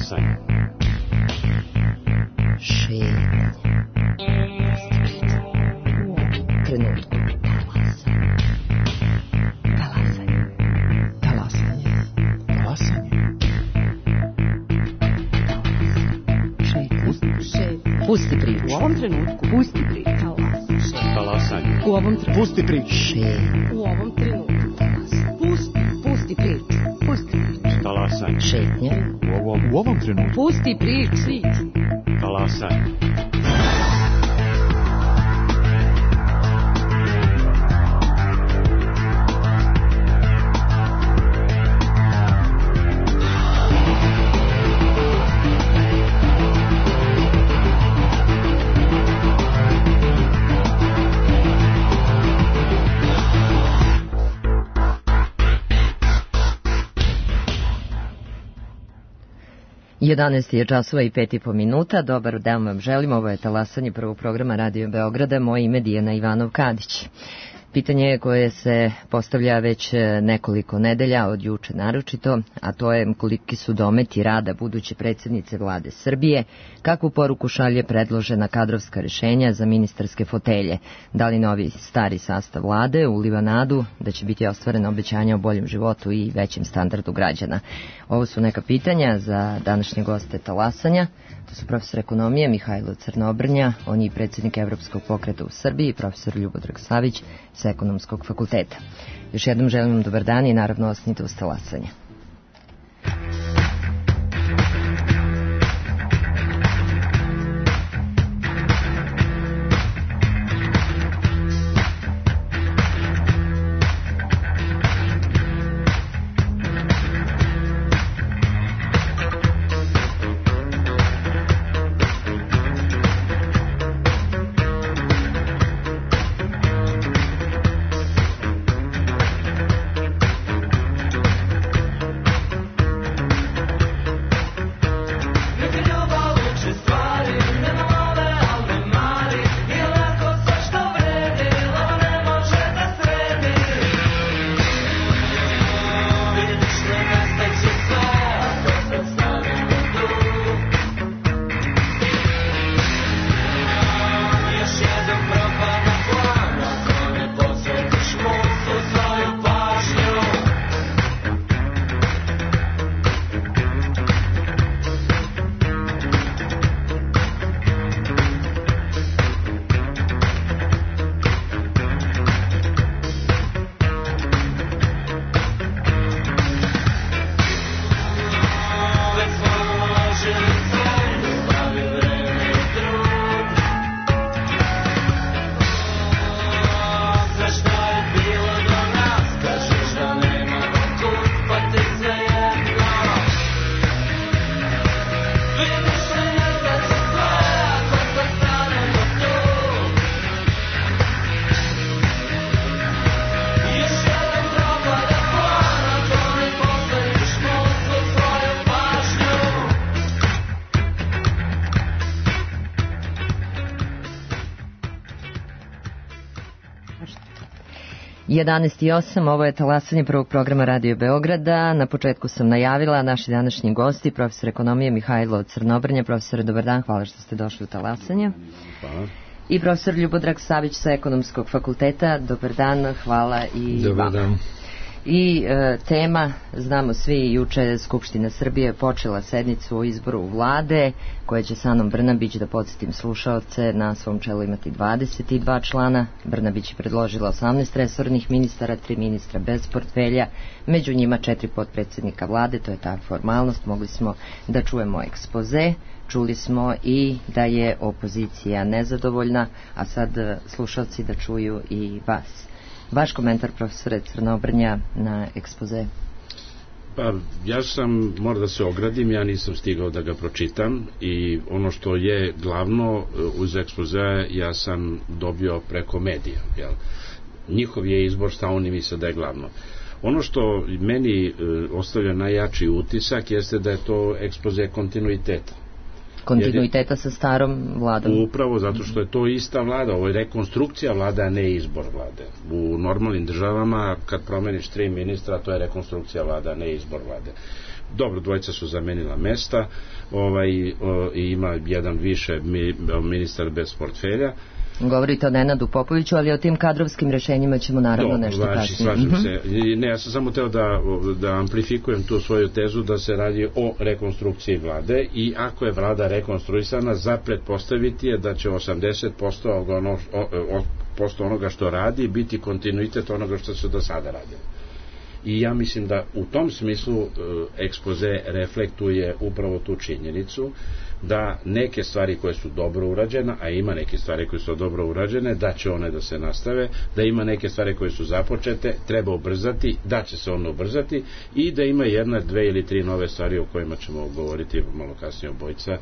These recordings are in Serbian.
Talasanje. Šetnja. Trenutku. Talasanje. Talasanje. Talasanje. Pusti priču. U ovom trenutku. Pusti priču. Talasanje. U ovom trenutku. Pusti priču. U ovom trenutku. Pusti priču. Pusti priču. Talasanje. Šetnja. U ovom trenutku. Pusti priču. Talasanje. Jedanaest je časova i 5,5 minuta. Dobar dan vam želim. Ovo je Talasanje prvog programa Radio Beograda. Moje ime Dijana Ivanov-Kadić. Pitanje koje se postavlja već nekoliko nedelja, od juče naročito, a to je koliki su dometi rada buduće predsjednice vlade Srbije, kakvu poruku šalje predložena kadrovska rešenja za ministarske fotelje, da li novi stari sastav vlade uliva nadu da će biti ostvareno obećanja o boljem životu i većem standardu građana. Ovo su neka pitanja za današnje goste Talasanja. To su profesor ekonomije Mihajlo Crnobrnja, on je predsjednik Evropskog pokreta u Srbiji, profesor Ljubodrag Savić sa Ekonomskog fakulteta. Još jednom želim vam dobar dan i naravno ostanite uz Talasanje. Jedanaest i 8, ovo je Talasanje prvog programa Radio Beograda. Na početku sam najavila naši današnji gosti, profesor ekonomije Mihajlo Crnobrnja. Profesore, dobar dan, hvala što ste došli u Talasanje. Hvala. I profesor Ljubodrag Savić sa Ekonomskog fakulteta, dobar dan, hvala i dobar dan. I tema, znamo svi, juče je Skupština Srbije počela sednicu o izboru vlade, koja će sa Anom Brnabić, da podsjetim slušaoce, na svom čelu imati 22 člana. Brnabić je predložila 18 resornih ministara, 3 ministra bez portfelja, među njima 4 potpredsjednika vlade, to je ta formalnost. Mogli smo da čujemo ekspoze, čuli smo i da je opozicija nezadovoljna, a sad slušaoci da čuju i vas. Vaš komentar, profesore Crnobrnja, na ekspoze? Pa, ja moram da se ogradim, ja nisam stigao da ga pročitam i ono što je glavno uz ekspoze ja sam dobio preko medija. Jel? Njihov je izbor, šta oni misle da je glavno. Ono što meni ostavlja najjači utisak jeste da je to ekspoze kontinuiteta. Kontinuiteta sa starom vladom. Upravo zato što je to ista vlada, ovo je rekonstrukcija vlade, a ne izbor vlade. U normalnim državama, kad promeniš 3 ministra, to je rekonstrukcija vlade, a ne izbor vlade. Dobro, dvojica su zamenila mesta, i ima jedan više ministar bez portfelja. Govorite o Nenadu Popoviću, ali o tim kadrovskim rešenjima ćemo naravno nešto kasnije. Slažem se. Ne, ja sam samo teo da amplifikujem tu svoju tezu da se radi o rekonstrukciji vlade, i ako je vlada rekonstruisana, za pretpostaviti je da će 80% onoga što radi biti kontinuitet onoga što se do sada radilo. I ja mislim da u tom smislu ekspoze reflektuje upravo tu činjenicu da neke stvari koje su dobro urađene, a ima neke stvari koje su dobro urađene, da će one da se nastave, da ima neke stvari koje su započete, treba ubrzati, da će se one ubrzati, i da ima jedna, dve ili tri nove stvari o kojima ćemo govoriti malo kasnije obojica,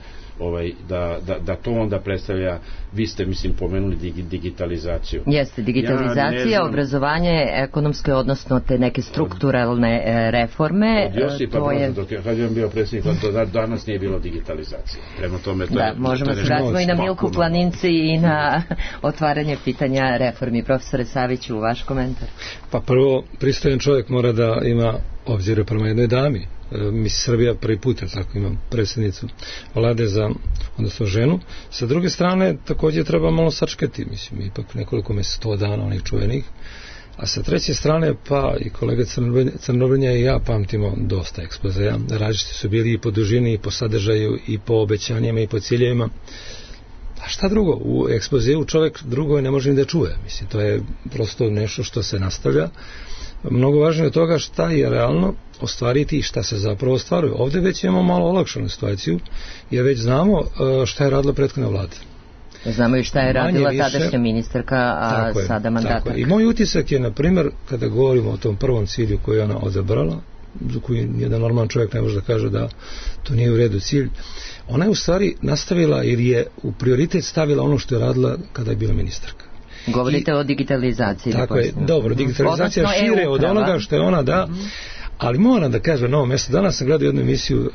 da to onda predstavlja, vi ste mislim pomenuli digitalizaciju. Jeste, digitalizacija, obrazovanje, ekonomske, odnosno te neke strukturalne reforme. Od Josipa Broza, kad je on bio predsjednik, danas nije bilo digitalizacije. Prema tome, možemo se vratimo i na Milku Planinci i na otvaranje pitanja reformi. Profesore Saviću, vaš komentar? Pa prvo, pristojan čovjek mora da ima obzire prema jednoj dami. Srbija prvi put, tako imam predsjednicu vlade odnosno ženu. Sa druge strane, također treba malo sačekati, mislim, ipak nekoliko 100 dana onih čuvenih. A sa treće strane, pa i kolega Crnobrnja i ja pamtimo dosta ekspozeja. Različiti su bili i po dužini, i po sadržaju, i po obećanjima, i po ciljevima. A šta drugo? U ekspozeu čovjek drugo ne može ni da čuje. Mislim, to je prosto nešto što se nastavlja. Mnogo važnije od toga šta je realno ostvariti i šta se zapravo ostvaruje. Ovdje već imamo malo olakšanu situaciju, jer već znamo šta je radila prethodna vlada. Znamo i šta je radila tadašnja ministarka, a sada mandatarka. I moj utisak je, na primjer, kada govorimo o tom prvom cilju koji je ona odabrala, za koji jedan normalan čovjek ne može da kaže da to nije u redu cilj, ona je u stvari nastavila ili je u prioritet stavila ono što je radila kada je bila ministarka. Govorite o digitalizaciji. Tako je, dobro, digitalizacija je šire od onoga što je ona ali moram da kažem na ovom mjestu, danas sam gledao jednu emisiju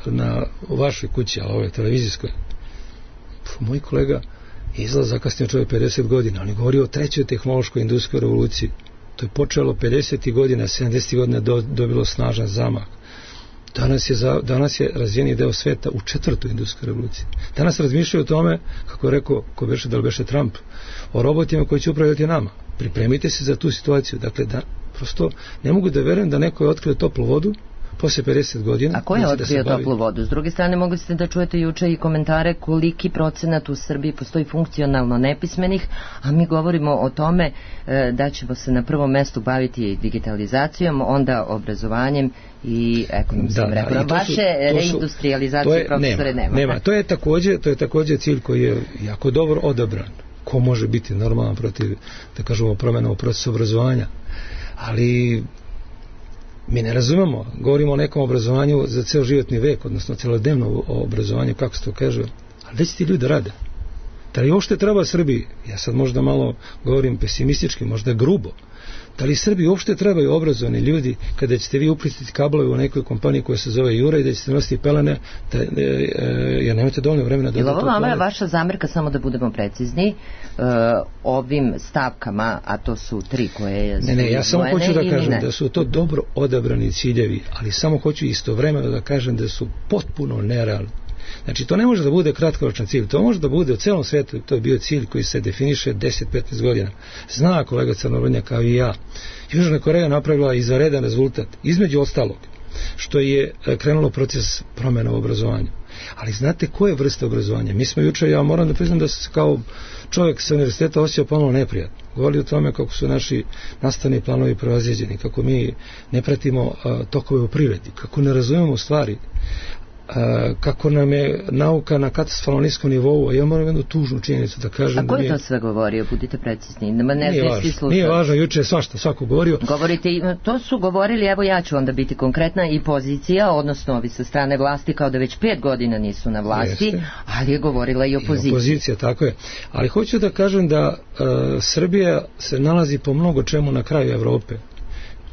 u vašoj kući, a ovoj televizijskoj. Moj kolega izlaz zakasnio čovjek 50 godina, on je govorio o trećoj tehnološkoj industrijskoj revoluciji. To je počelo 50. godina, 70. godina dobilo snažan zamah. Danas je razvijeni deo sveta u četvrtoj industrijskoj revoluciji. Danas razmišljaju o tome, kako je rekao, da li beše Trump, o robotima koji će upravljati nama. Pripremite se za tu situaciju. Dakle, prosto ne mogu da verujem da neko je otkrio toplu vodu poslije 50 godina. A ko je otkrio toplu vodu? S druge strane, mogli ste da čujete juče i komentare koliki procenat u Srbiji postoji funkcionalno nepismenih, a mi govorimo o tome da ćemo se na prvom mestu baviti digitalizacijom, onda obrazovanjem i ekonomskim reformama. Vaše reindustrializacije, profesore, nema. To je također cilj koji je jako dobro odabran. Ko može biti normalan protiv, da kažemo, promjena u procesu obrazovanja? Ali mi ne razumemo, govorimo o nekom obrazovanju za ceo životni vek, odnosno celodnevno obrazovanje, kako se to kaže, ali gde će ti ljudi rade? Da li uopšte treba Srbiji? Ja sad možda malo govorim pesimistički, možda grubo. Da li Srbiji uopšte trebaju obrazovani ljudi kada ćete vi uplistiti kablove u nekoj kompaniji koja se zove Jura i da ćete nositi pelene, jer nemate dovoljno vremena da... Je li ovo vaša zamerka, samo da budemo precizni, ovim stavkama, a to su 3 koje... Ne, ja samo hoću da kažem da su to dobro odabrani ciljevi, ali samo hoću istovremeno da kažem da su potpuno nerealni. Znači, to ne može da bude kratkoročan cilj, to može da bude u celom svijetu, to je bio cilj koji se definiše 10-15 godina. Zna kolega Crnobrnja kao i ja. Južna Koreja napravila izvanredan rezultat, između ostalog, što je krenulo proces promjena u obrazovanju. Ali znate koje vrste obrazovanja? Mi smo juče, ja moram da priznam da se kao čovjek sa univerziteta osjećao pomalo neprijatno. Govorili o tome kako su naši nastavni planovi prevaziđeni, kako mi ne pratimo tokove u privredi, kako ne razumemo stvari, kako nam je nauka na katastrofalno niskom nivou, a ja moram jednu tužnu činjenicu da kažem. A ko je to sve govorio? Budite precizni. Nije važno, juče je svako govorio. Govorite, to su govorili, evo ja ću onda biti konkretna, i pozicija, odnosno ovi sa strane vlasti, kao da već 5 godina nisu na vlasti. Jeste. Ali je govorila i opozicija. I opozicija, tako je. Ali hoću da kažem da Srbija se nalazi po mnogo čemu na kraju Evrope.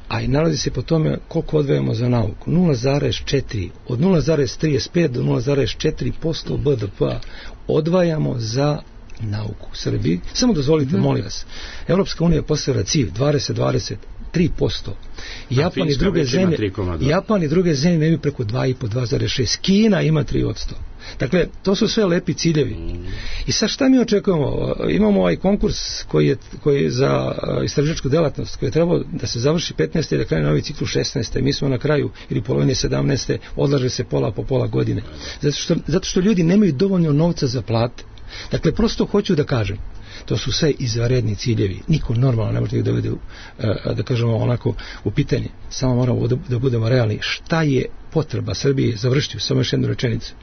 A i nalazi se po tome koliko odvajamo za nauku. 0,4, od 0,35 do 0,4% BDP-a odvajamo za nauku u Srbiji. Samo dozvolite, molim vas, Evropska unija postavila cilj 2020 3%. Japan i druge zemlje imaju preko 2,5, 2,6. Kina ima 3%. Dakle, to su sve lepi ciljevi. I sad šta mi očekujemo? Imamo ovaj konkurs koji je za istraživačku delatnost, koji je trebao da se završi 15. i da krene novi ciklus 16. Mi smo na kraju ili polovine 17. odlaže se pola po pola godine. Zato što ljudi nemaju dovoljno novca za plate. Dakle, prosto hoću da kažem, to su sve izvanredni ciljevi. Niko normalno ne može da ih dovede, da kažemo onako, u pitanje. Samo moramo da budemo realni. Šta je potreba Srbije? Završiti samo još jednu rečenicu.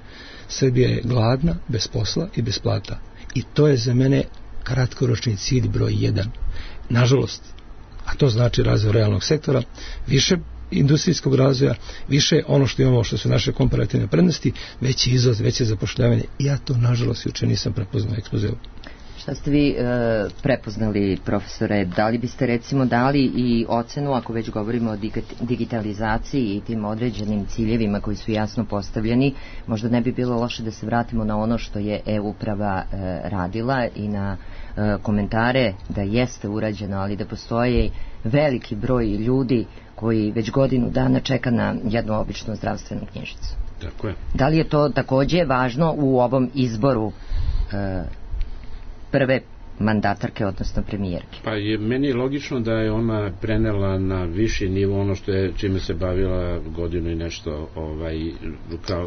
Srbija je gladna, bez posla i bez plata. I to je za mene kratkoročni cilj broj 1. Nažalost, a to znači razvoj realnog sektora, više industrijskog razvoja, više ono što imamo, što su naše komparativne prednosti, veći izvoz, veće zapošljavanje. Ja to, nažalost, juče nisam prepoznao ekspozeu. Šta ste vi prepoznali, profesore? Da li biste recimo dali i ocenu, ako već govorimo o digitalizaciji i tim određenim ciljevima koji su jasno postavljeni, možda ne bi bilo loše da se vratimo na ono što je e-uprava radila i na komentare da jeste urađeno, ali da postoje veliki broj ljudi koji već godinu dana čeka na jednu običnu zdravstvenu knjižicu. Tako je. Da li je to takođe važno u ovom izboru prve mandatarke, odnosno premijerke? Pa meni je logično da je ona prenela na viši nivo ono što je, čime se bavila godinu i nešto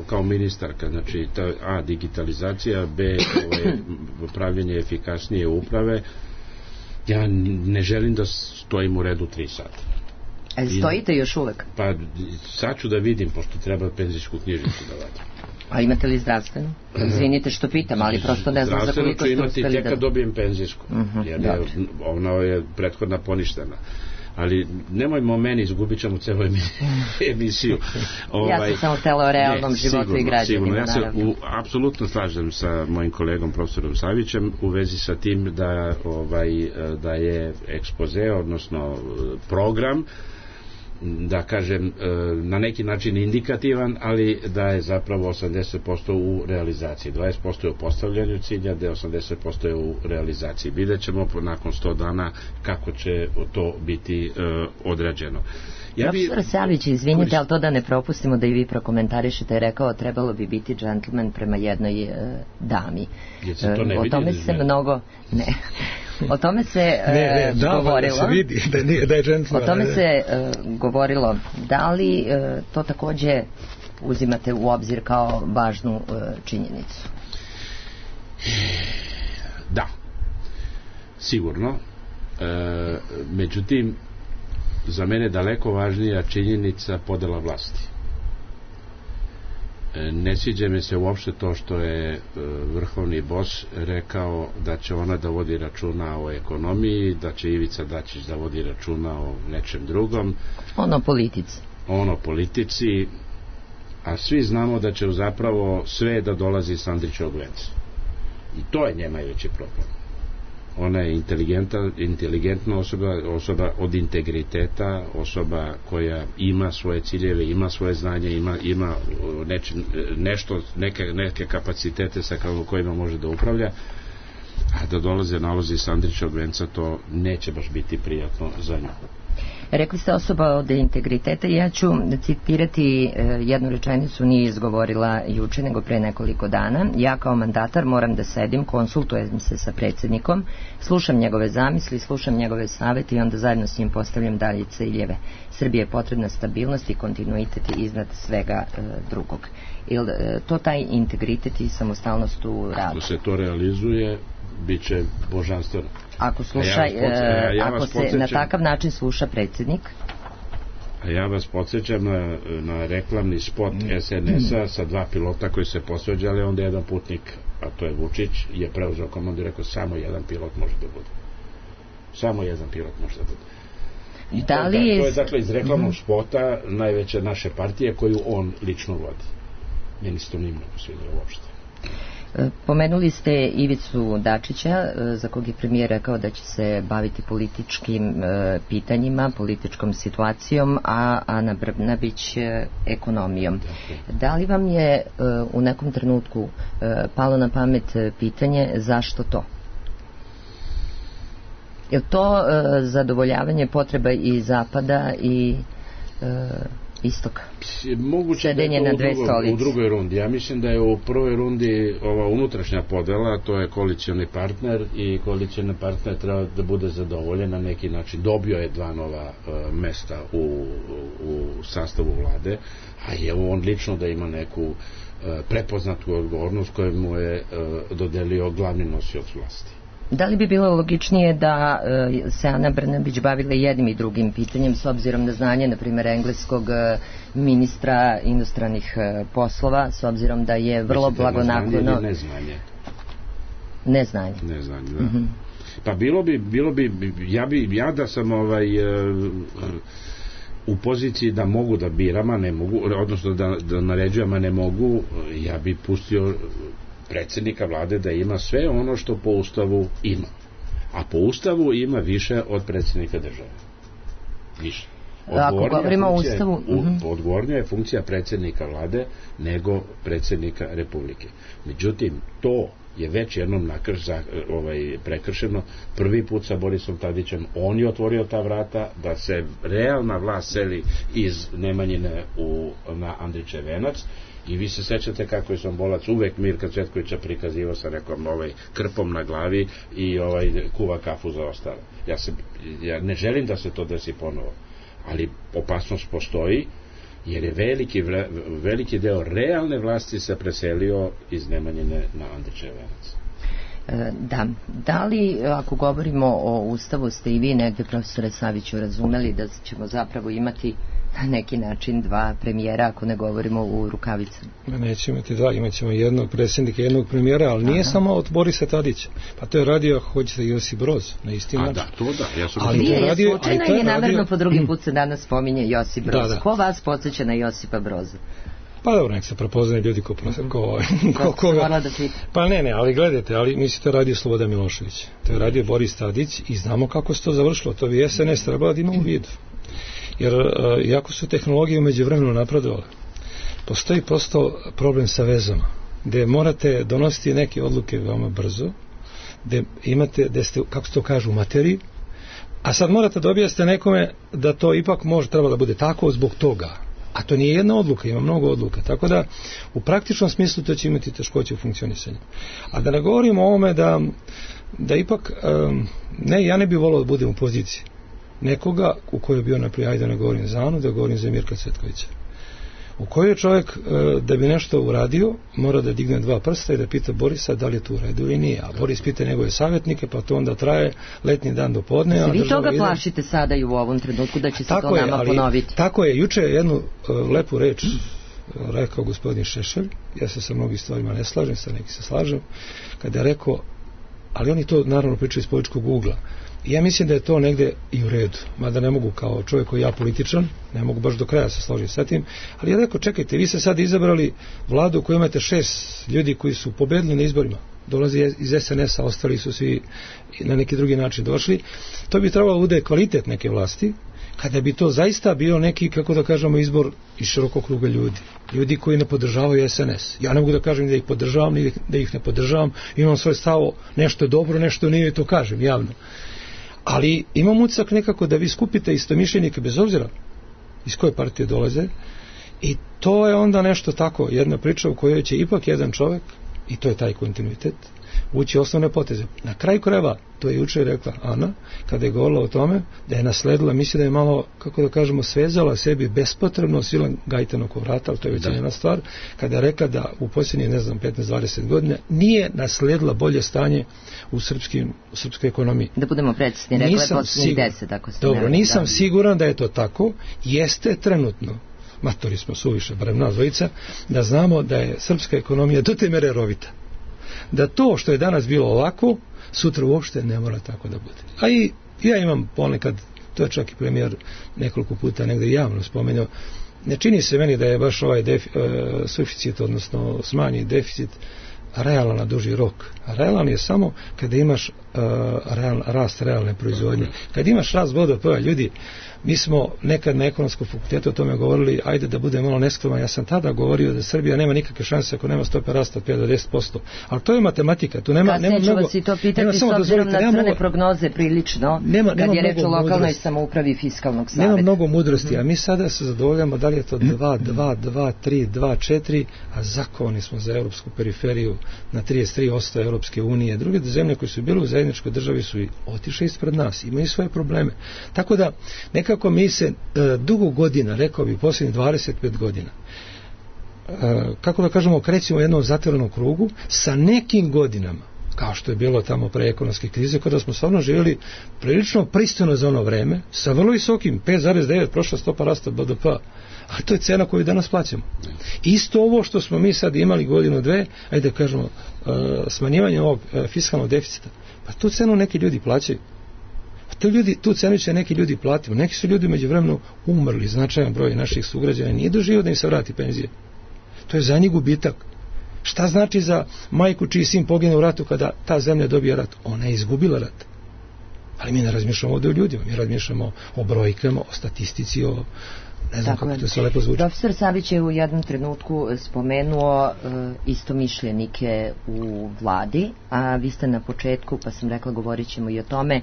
kao ministarka, znači A, digitalizacija, B, pravljenje efikasnije uprave. Ja ne želim da stojim u redu 3 sata. Stojite još uvek? Pa sad ću da vidim, pošto treba penzijsku knjižicu da vadim. A imate li zdravstvenu? Izvinite što pitam, ali prosto ne znam za koliko ste uspeli da... Zdravstvenu ću imati tek kad dobijem penzijsku, jer ona je prethodna poništena. Ali nemojmo o meni, izgubit ćemo celu emisiju. Ja sam samo htela o realnom životu i građanima. Ja se apsolutno slažem sa mojim kolegom profesorom Savićem u vezi sa tim da je ekspoze, odnosno program, da kažem, na neki način indikativan, ali da je zapravo 80% u realizaciji. 20% je u postavljanju cilja, da je 80% je u realizaciji. Vidjet ćemo nakon 100 dana kako će to biti odrađeno. Profesor Savić, izvinite, ali to da ne propustimo da i vi prokomentarišete, je rekao trebalo bi biti džentlmen prema jednoj dami. O tome se mnogo... Ne. O tome se govorilo. Da se vidi da je džentlmen. O tome se govorilo. Da li to takođe uzimate u obzir kao važnu činjenicu? Da. Sigurno. Međutim, za mene daleko važnija činjenica podela vlasti. Ne sviđa mi se uopšte to što je vrhovni bos rekao da će ona da vodi računa o ekonomiji, da će Ivica Dačić da vodi računa o nečem drugom. Ono politici, a svi znamo da će zapravo sve da dolazi iz Andrićevog venca. I to je njema veći problem. Ona je inteligentna osoba od integriteta, osoba koja ima svoje ciljeve, ima svoje znanje, ima neke kapacitete sa kojima može da upravlja, a da dolaze nalozi sa Andrićevog venca, to neće baš biti prijatno za nju. Rekli ste osoba od integriteta, ja ću citirati jednu rečenicu, nije izgovorila juče nego pre nekoliko dana. Ja kao mandatar moram da sedim, konsultujem se sa predsjednikom, slušam njegove zamisli, slušam njegove savete i onda zajedno s njim postavljam dalje ciljeve. Srbije je potrebna stabilnost i kontinuitet iznad svega drugog. Ili to taj integritet i samostalnost u radu? Ako se to realizuje, bit će božanstveno. Ako se na takav način sluša predsjednik? A ja vas podsjećam na reklamni spot SNS-a sa 2 pilota koji se posveđali, onda jedan putnik, a to je Vučić, je preuzeo komandu i rekao samo jedan pilot može da bude. Samo jedan pilot može da bude. To je dakle iz reklamnog spota najveće naše partije koju on lično vodi. Meni se to nije mnogo svidjelo uopšte. Pomenuli ste Ivicu Dačića, za kog je premijer rekao da će se baviti političkim pitanjima, političkom situacijom, a Ana Brnabić ekonomijom. Da li vam je u nekom trenutku palo na pamet pitanje zašto to? Je li to zadovoljavanje potreba i zapada i istoka? Moguće da je to u drugoj rundi. Ja mislim da je u prvoj rundi ova unutrašnja podela, to je koalicioni partner i koalicioni partner treba da bude zadovoljen na neki način. Dobio je 2 nova mesta u sastavu vlade, a je on lično da ima neku prepoznatu odgovornost koju mu je dodelio glavni nosioc vlasti. Da li bi bilo logičnije da se Ana Brnabić bavila jednim i drugim pitanjem s obzirom na znanje, na primjer, engleskog ministra inostranih poslova, s obzirom da je vrlo blagonaklono... Neznanje, da. Pa bilo bi, ja da sam u poziciji da mogu da biram, a ne mogu, odnosno da naređujem, a ne mogu, ja bi pustio predsjednika vlade da ima sve ono što po ustavu ima. A po ustavu ima više od predsjednika države. Više. Ako govorimo o ustavu... Odgovornija je funkcija predsjednika vlade nego predsjednika republike. Međutim, to je već jednom prekršeno. Prvi put sa Borisom Tadićem on je otvorio ta vrata da se realna vlast seli iz Nemanjine na Andrićev venac. I vi se sećate kako je Sombolac uvek Mirka Cvetkovića prikazivao sa nekom krpom na glavi i kuva kafu za ostale. Ja ne želim da se to desi ponovo, ali opasnost postoji jer je veliki deo realne vlasti se preselio iz Nemanjine na Andrićev venac. Da li, ako govorimo o ustavu, ste i vi negde, profesore Saviću, razumeli da ćemo zapravo imati na neki način 2 premijera, ako ne govorimo u rukavicama? Nećemo imati 2, imat ćemo jednog predsjednika i jednog premijera, ali nije samo od Borisa Tadića. Pa to je radio, ako hoćete, Josip Broz, na isti način. Da, to da. Ali je slučajno i namerno po drugi put se danas spominje Josip Broz. Ko vas podsjeća na Josipa Broza? Pa dobro, nek se prepoznaju ljudi koga. Pa ne, ali gledajte, ali mislim to je radio Slobodan Milošević. To je radio Boris Tadić i znamo kako se to završilo. To bi SNS trebalo da ima u vidu. Jer iako su tehnologije umeđu vremenu napredovale, postoji prosto problem sa vezama, gde morate donositi neke odluke veoma brzo, gde ste, kako se to kaže, u materiji, a sad morate da objasnite nekome da to ipak treba da bude tako zbog toga. A to nije jedna odluka, ima mnogo odluka. Tako da u praktičnom smislu to će imati teškoće u funkcionisanju. A da ne govorimo o ovome da ipak, ja ne bih volao da budem u poziciji nekoga u kojoj je bio, naprijed, da ne govorim za Anu, da govorim za Mirka Cvetkovića, u kojoj čovjek da bi nešto uradio mora da digne 2 prsta i da pita Borisa da li je to u redu ili nije, a Boris pita njegove savjetnike, pa to onda traje letnji dan do podne. Vi toga plašite sada i u ovom trenutku da će se to nama ponoviti? Tako je, juče je jednu lepu reč rekao gospodin Šešelj, ja se sa mnogim stvarima ne slažem, sa neki se slažem, kada je rekao, ali oni to naravno pričaju iz političkog ugla. Ja mislim da je to negde i u redu, mada ne mogu kao čovjek koji ja političan, ne mogu baš do kraja se složiti sa tim, ali ja rekao, čekajte, vi ste sad izabrali vladu u kojoj imate 6 ljudi koji su pobedili na izborima, dolazi iz SNS-a, ostali su svi na neki drugi način došli, to bi trebalo da bude kvalitet neke vlasti, kada bi to zaista bio neki, kako da kažemo, izbor iz širokog kruga ljudi koji ne podržavaju SNS. Ja ne mogu da kažem da ih podržavam, ni da ih ne podržavam, imam svoj stav, nešto je dobro, nešto nije, to kažem javno. Ali imam utisak nekako da vi skupite istomišljenike bez obzira iz koje partije dolaze i to je onda nešto tako, jedna priča u kojoj će ipak jedan čovjek, i to je taj kontinuitet, ući osnovne poteze. Na kraju krajeva, to je juče rekla Ana, kada je govorila o tome, da je nasledila, misli da je malo, kako da kažemo, svezala sebi bespotrebno silan gajtan oko vrata, ali to je već jedna stvar, kada je rekla da u posljednjih, 15-20 godina nije nasledila bolje stanje u srpskoj ekonomiji. Da budemo precizni, rekla je posljednjih 10, ako se dobro, nisam siguran da je to tako, jeste trenutno, matori smo suviše, barem nas dvojica, da znamo da je srpska ekonomija do te mere rovita. Da to što je danas bilo ovako, sutra uopšte ne mora tako da bude. A i ja imam ponekad, to je čak i premijer nekoliko puta negde javno spomenuo, ne čini se meni da je baš ovaj suficit, odnosno smanji deficit, realan na duži rok. Realan je samo kada imaš rast realne proizvodnje. Kad imaš rast BDP-a, ljudi, mi smo nekad na ekonomskom fakultetu o tome govorili, ajde da bude malo neskroman, ja sam tada govorio da Srbija nema nikakve šanse ako nema stope rasta od 5 do 10%. Ali to je matematika, tu nema mnogo... Kasnije ću vas i to pitati s obzirom na crne prognoze prilično, kad je reč o lokalnoj samoupravi fiskalnog saveta. Nema mnogo mudrosti, a mi sada se zadovoljamo da li je to 2, 2, 2, 3, 2, 4, a zakovani smo za europsku periferiju na 33% Europske unije. Druge zemlje koje su bile u zajedničkoj državi su i otišle ispred nas, imaju svoje probleme. Tako da, nekako mi se dugo godina, rekao bi posljednjih 25 godina, kako da kažemo, krećemo u jednom zatvorenom krugu sa nekim godinama, kao što je bilo tamo pre ekonomske krize, kada smo stvarno živjeli prilično pristojno za ono vreme, sa vrlo visokim 5,9 prošla stopa rasta BDP-a. A to je cena koju danas plaćamo. Isto ovo što smo mi sad imali godinu, dve, ajde da kažemo, smanjivanje ovog fiskalnog deficita, pa tu cenu neki ljudi plaćaju. Tu cenu će neki ljudi platiti. Neki su ljudi među vremenu umrli, značajan broj naših sugrađana nije doživio da im se vrati penzije. To je za njih gubitak. Šta znači za majku čiji sin pogine u ratu kada ta zemlja dobije rat? Ona je izgubila rat. Ali mi ne razmišljamo ovdje o ljudima, mi razmišljamo o brojkama, o statistici, o ne znam kako to sve lepo zvuči. Profesor Savić je u jednom trenutku spomenuo istomišljenike u vladi, a vi ste na početku, pa sam rekla govorit ćemo i o tome,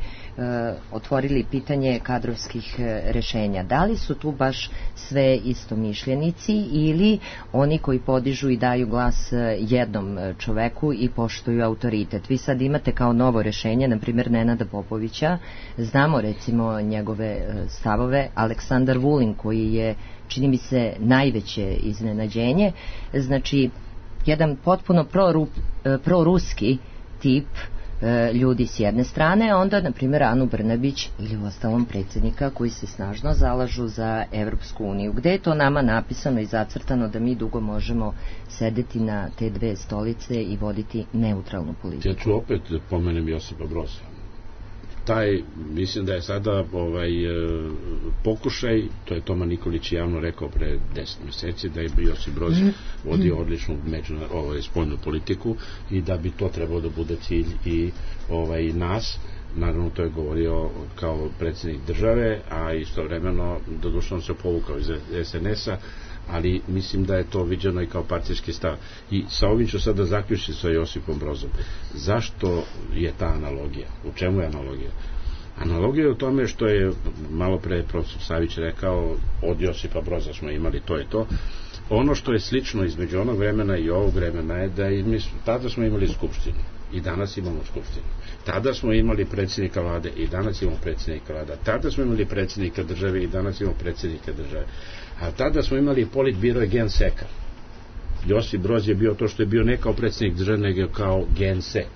otvorili pitanje kadrovskih rešenja. Da li su tu baš sve istomišljenici ili oni koji podižu i daju glas jednom čoveku i poštuju autoritet? Vi sad imate kao novo rešenje, na primjer Nenada Popovića, znamo recimo njegove stavove, Aleksandar Vulin koji je, čini mi se, najveće iznenađenje, znači jedan potpuno proruski tip ljudi s jedne strane, a onda na primjer Anu Brnabić ili u ostalom predsjednika koji se snažno zalažu za Evropsku uniju. Gde je to nama napisano i zacrtano da mi dugo možemo sedeti na te dve stolice i voditi neutralnu politiku? Ja ću opet pomenem Josipa Broza. Mislim da je sada pokušaj, to je Toma Nikolić javno rekao pre 10 mjeseci, da je Josip Broz vodio odličnu spoljnu politiku i da bi to trebalo da bude cilj i nas. Naravno, to je govorio kao predsjednik države, a istovremeno doduše on se povukao iz SNS-a, ali mislim da je to viđeno i kao partijski stav. I sa ovim ću sada zaključiti sa Josipom Brozom. Zašto je ta analogija? U čemu je analogija? Analogija je u tome što je malo pre profesor Savić rekao, od Josipa Broza smo imali to i to. Ono što je slično između onog vremena i ovog vremena je da tada smo imali skupštinu i danas imamo skupštinu. Tada smo imali predsjednika vlade i danas imamo predsjednika vlada. Tada smo imali predsjednika države i danas imamo predsjednika države. A tada smo imali politbiro i genseka. Josip Broz je bio to što je bio ne kao predsjednik države, nego kao gensek.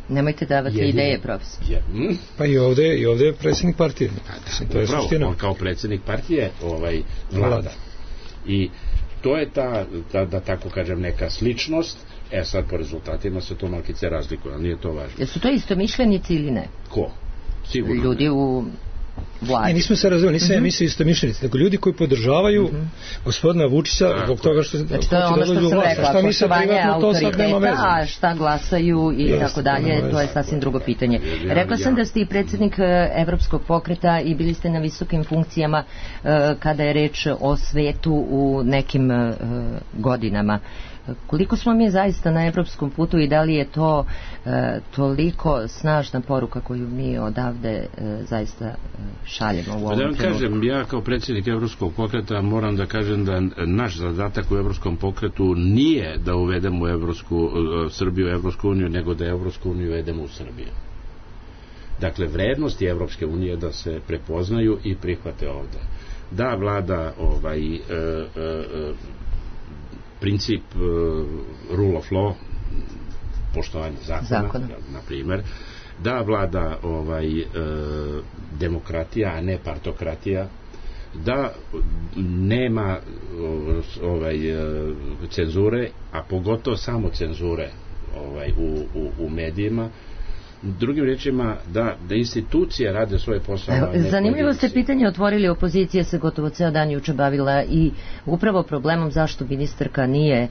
Nemojte davati ideje, profesor. Pa i ovdje je predsjednik partije. To je suština. On kao predsjednik partije vlada. I to je ta, da tako kažem, neka sličnost. Sad po rezultatima se to malkice razlikuje, ali nije to važno. Jesu to istomišljenici ili ne? Ko? Sigurno. Ljudi u vladi. Nismo se razvili, nisam ja mislio istomišljenici, nego ljudi koji podržavaju gospodina Vučića zbog toga što znači to je ono što sam rekla, poštovanje autoriteta, a šta glasaju i tako dalje, to je sasvim drugo pitanje. Rekla sam da ste i predsjednik Evropskog pokreta i bili ste na visokim funkcijama kada je reč o svetu u nekim godinama. Koliko smo mi zaista na evropskom putu i da li je to toliko snažna poruka koju mi odavde zaista šaljemo u ovom trenutku? Da vam kažem, ja kao predsjednik Evropskog pokreta moram da kažem da naš zadatak u Evropskom pokretu nije da uvedemo Srbiju u Evropsku uniju, nego da Evropsku uniju uvedemo u Srbiju. Dakle, vrednosti Evropske unije da se prepoznaju i prihvate ovde. Da vlada princip rule of law, poštovanje zakona. Na primjer, da vlada demokratija, a ne partokratija, da nema cenzure, a pogotovo samo cenzure u medijima, Drugim rečima, da institucije rade svoje posao. Zanimljivo ste pitanje otvorili. Opozicija se gotovo ceo dan juče bavila i upravo problemom zašto ministarka nije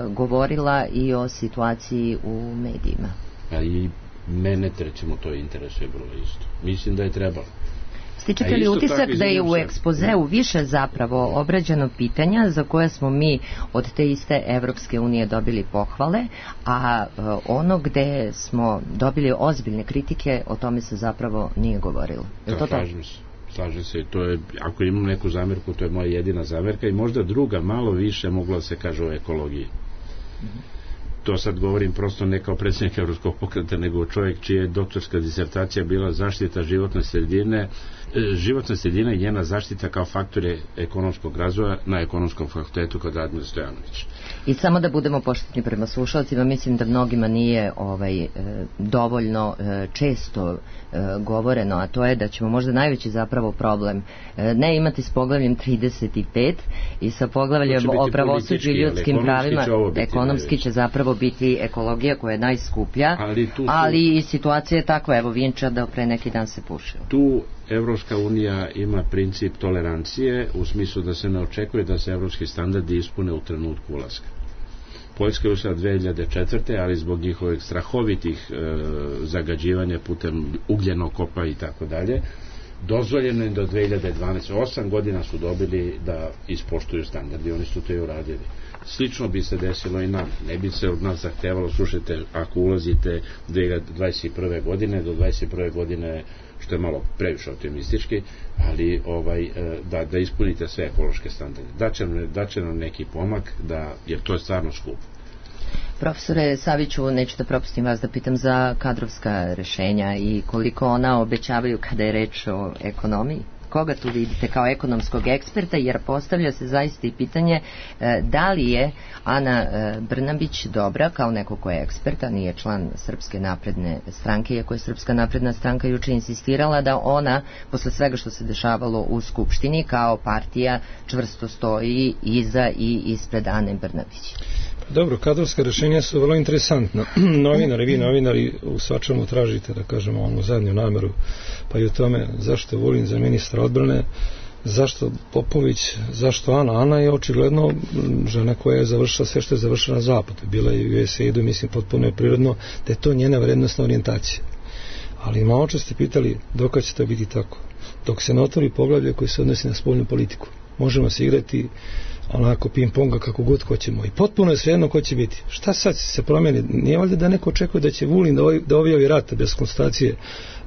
govorila i o situaciji u medijima. A i mene, recimo, to interesuje vrlo isto. Mislim da je trebalo. Stičete li utisak da je u ekspozeu više zapravo obrađeno pitanja za koje smo mi od te iste Evropske unije dobili pohvale, a ono gde smo dobili ozbiljne kritike, o tome se zapravo nije govorilo? Slažem se. To je, ako imam neku zamerku, to je moja jedina zamerka i možda druga, malo više mogla se kaže o ekologiji. To sad govorim prosto ne kao predsjednik Evropskog pokreta, nego čovjek čija je doktorska disertacija bila zaštita životne sredine, životna sredina i njena zaštita kao faktore ekonomskog razvoja na ekonomskom fakultetu kod Radmila Stojanovića. I samo da budemo pošteni prema slušalcima, mislim da mnogima nije dovoljno često govoreno, a to je da ćemo možda najveći zapravo problem ne imati s poglavljem 35 i sa poglavljem o pravosuđu i ljudskim pravima. Ekonomski će zapravo biti ekologija koja je najskuplja, ali i situacija je takva, evo Vinča da pre neki dan se pušio. Tu Evropska unija ima princip tolerancije u smislu da se ne očekuje da se evropski standardi ispune u trenutku ulaska. Poljska je ušla 2004. ali zbog njihovih strahovitih zagađivanja putem ugljenog kopa i tako dalje, dozvoljeno je do 2012. 8 godina su dobili da ispoštuju standardi, oni su to i uradili. Slično bi se desilo i nam. Ne bi se od nas zahtevalo, slušajte, ako ulazite 2021. godine, do 2021. godine, što je malo previše optimistički, ali da ispunite sve ekološke standarde. Daće nam neki pomak, jer to je stvarno skupo. Profesore Saviću, neću da propustim vas da pitam za kadrovska rešenja i koliko ona obećavaju kada je reč o ekonomiji. Koga tu vidite kao ekonomskog eksperta, jer postavlja se zaista i pitanje da li je Ana Brnabić dobra kao neko ko je ekspert, a nije član Srpske napredne stranke, iako je Srpska napredna stranka juče insistirala da ona, posle svega što se dešavalo u Skupštini, kao partija čvrsto stoji iza i ispred Ane Brnabić. Dobro, kadrovska rešenja su vrlo interesantna. Vi novinari u svačemu tražite, da kažemo, onu zadnju nameru, pa i u tome zašto Vulin za ministra odbrane, zašto Popović, zašto Ana. Ana je očigledno žena koja je završila sve što je završila na zapadu. Bila je u USAID-u, mislim, potpuno je prirodno da je to njena vrednostna orijentacija. Ali malo čas ste pitali dok će to biti tako. Dok se ne otvori poglavlje koji se odnosi na spoljnu politiku. Možemo se igrati onako ping-ponga kako god hoćemo i potpuno je svejedno ko će biti. Šta sad se promijeni? Nije valjda da neko očekuje da će Vulin da objavi rat bez konstatacije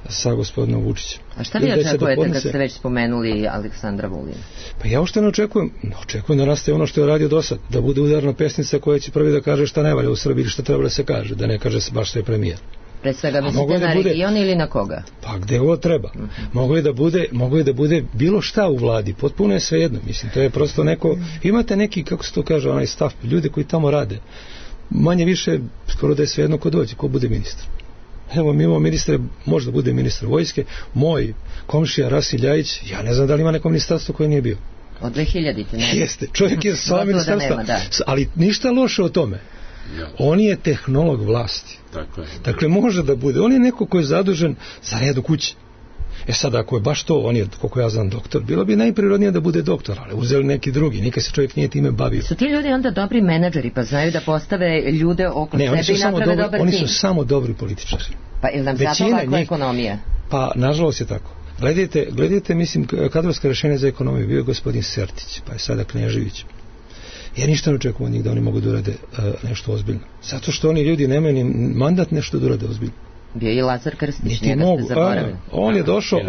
sa gospodinom Vučićem. A šta vi očekujete kad ste već spomenuli Aleksandra Vulina? Pa ja uopšte ne očekujem da nastaje ono što je radio do sad, da bude udarna pesnica koja će prvi da kaže šta ne valja u Srbiji, šta treba da se kaže, da ne kaže se baš što je premijer. Pre svega mislite na region ili na koga? Pa gde god treba. Mogu je da bude bilo šta u vladi, potpuno je svejedno. Mislim, to je prosto neko, imate neki, kako se to kaže, onaj stav, ljudi koji tamo rade. Manje više, skoro da je svejedno ko dođe, ko bude ministar. Evo, mi imamo ministre, možda bude ministar vojske, moj komšija Rasim Ljajić, ja ne znam da li ima neko ministarstvo koje nije bio. Od 2000-te, ne? Jeste, čovjek je sva ministarstva, ali ništa loše o tome. On je tehnolog vlasti. Dakle, može da bude. On je neko ko je zadužen za red u kući. Sad, ako je baš to, on je, koliko ja znam, doktor, bilo bi najprirodnije da bude doktor, ali uzeli neki drugi, nikad se čovjek nije time bavio. Su ti ljudi onda dobri menadžeri, pa znaju da postave ljude oko sebe i naprave dobar tim? Oni su samo dobri političari. Pa ili nam zato ovakva ekonomija? Pa, nažalost je tako. Gledajte, mislim, kadrovska rešenja za ekonomiju, bio je gospodin Sertić, pa je sada Knežević. Ja ništa ne očekujem od njih da oni mogu da urade nešto ozbiljno. Zato što oni ljudi nemaju ni mandat nešto da urade ozbiljno. Bio i Lazar Krstić, njega ste zaboravili. On je došao,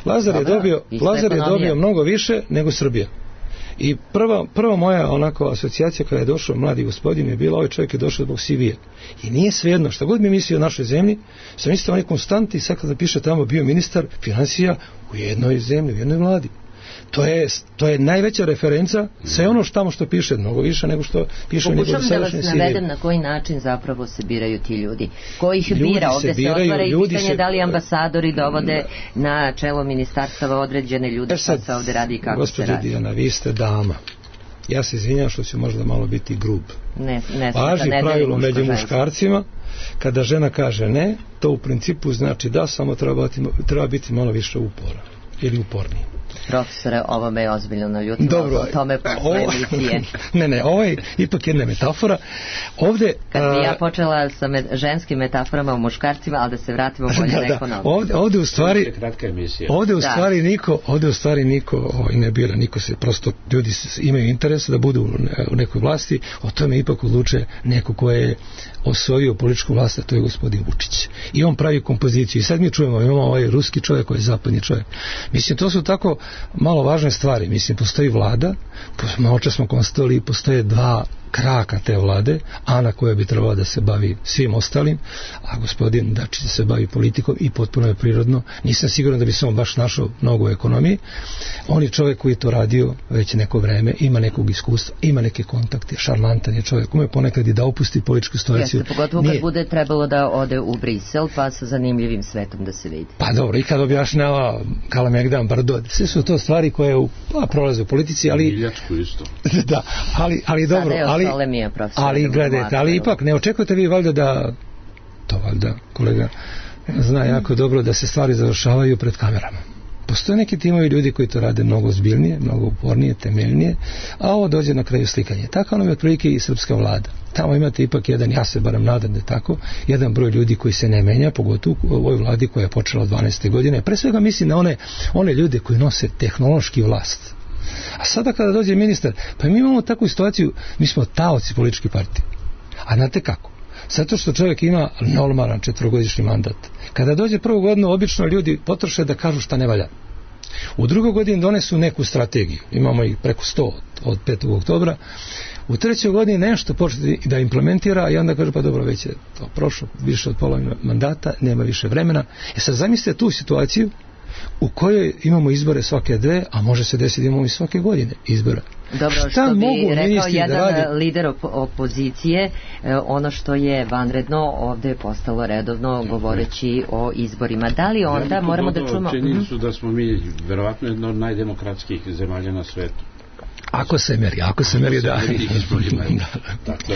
Lazar je dobio mnogo više nego Srbija. I prva moja onako asocijacija kada je došao mladi gospodin je bila, ovaj čovjek je došao zbog CV-a. I nije svejedno, šta god mi misli o našoj zemlji, sam mislio on je konstanti i sad kada piše tamo bio ministar financija u jednoj zemlji, u jednoj vladi. To je najveća referenca, sve ono tamo što piše, mnogo više nego što piše u njegovom sadašnjem CV. Pokušam da vas navedem na koji način zapravo se biraju ti ljudi. Ko ih bira? Ovdje se otvara i pitanje da li ambasadori dovode na čelo ministarstava određene ljude, šta se ovdje radi i kako se radi. Gospođo Dijana, vi ste dama. Ja se izvinjam što ću možda malo biti grub. Ne važi pravilo među muškarcima kada žena kaže ne, to u principu znači da, samo treba biti malo više upora ili uporniji. Profesore, ovo me je ozbiljno naljutilo. Dobro, o tome posle emisije. Ne, ovo je ipak jedna metafora. Ovde, kad bi ja počela sa ženskim metaforama o muškarcima, ali da se vratimo bolje na ekonomiju. Ovde u stvari kratka emisija. Ovde u stvari niko ne bira, niko se prosto, ljudi imaju interesa da budu u nekoj vlasti, o tome ipak odluče neko ko je osvojio političku vlast, a to je gospodin Vučić. I on pravi kompoziciju. I sad mi čujemo, imamo ovaj ruski čovjek koji je zapadni čovjek. Mislim, to su tako malo važne stvari. Mislim, postoji vlada, malo čas smo konstatovali, postoje dva kraka te vlade, Ana koja bi trebala da se bavi svim ostalim, a gospodin Dačić se bavi politikom i potpuno je prirodno. Nisam siguran da bi se on baš našao mnogo u ekonomiji. On je čovjek koji je to radio već neko vreme, ima nekog iskustva, ima neke kontakte, šarmantan je čovjek, ume ponekad i da opusti političku situaciju. Jeste, pogotovo kad bude trebalo da ode u Brisel, pa sa zanimljivim svetom da se vidi. Pa dobro, i kad objašnjava Kalamegdan, Brdo, sve su to stvari koje prolaze u politici, ali... Miljačku isto. Da, ali dobro, ali gledajte, ali ipak ne očekujete vi valjda da, to valjda kolega zna jako dobro, da se stvari završavaju pred kamerama. Postoje neki timovi ljudi koji to rade mnogo ozbiljnije, mnogo upornije, temeljnije, a ovo dođe na kraju slikanje. Tako nam je otprilike i srpska vlada. Tamo imate ipak jedan, ja se barem nadam da je tako, jedan broj ljudi koji se ne menja, pogotovo u ovoj vladi koja je počela od 12. godine. Pre svega mislim na one ljude koji nose tehnološki vlast. A sada kada dođe ministar, pa mi imamo takvu situaciju, mi smo taoci političke partije. A znate kako? Zato što čovjek ima normalan 4-godišnji mandat. Kada dođe prvu godinu, obično ljudi potroše da kažu šta ne valja. U drugoj godini donesu neku strategiju. Imamo ih preko 100 od 5. oktobra. U trećoj godini nešto početi da implementira i onda kaže pa dobro, već je to prošlo više od pola mandata, nema više vremena. Sad zamislite tu situaciju u kojoj imamo izbore svake 2, a može se desiti da imamo i svake godine izbora. Dobro, što bi rekao jedan lider opozicije, ono što je vanredno ovdje je postalo redovno govoreći o izborima. Da li onda moramo da čujemo... Čini su da smo mi verovatno jedna od najdemokratskih zemalja na svetu. Ako se meri da. Dakle,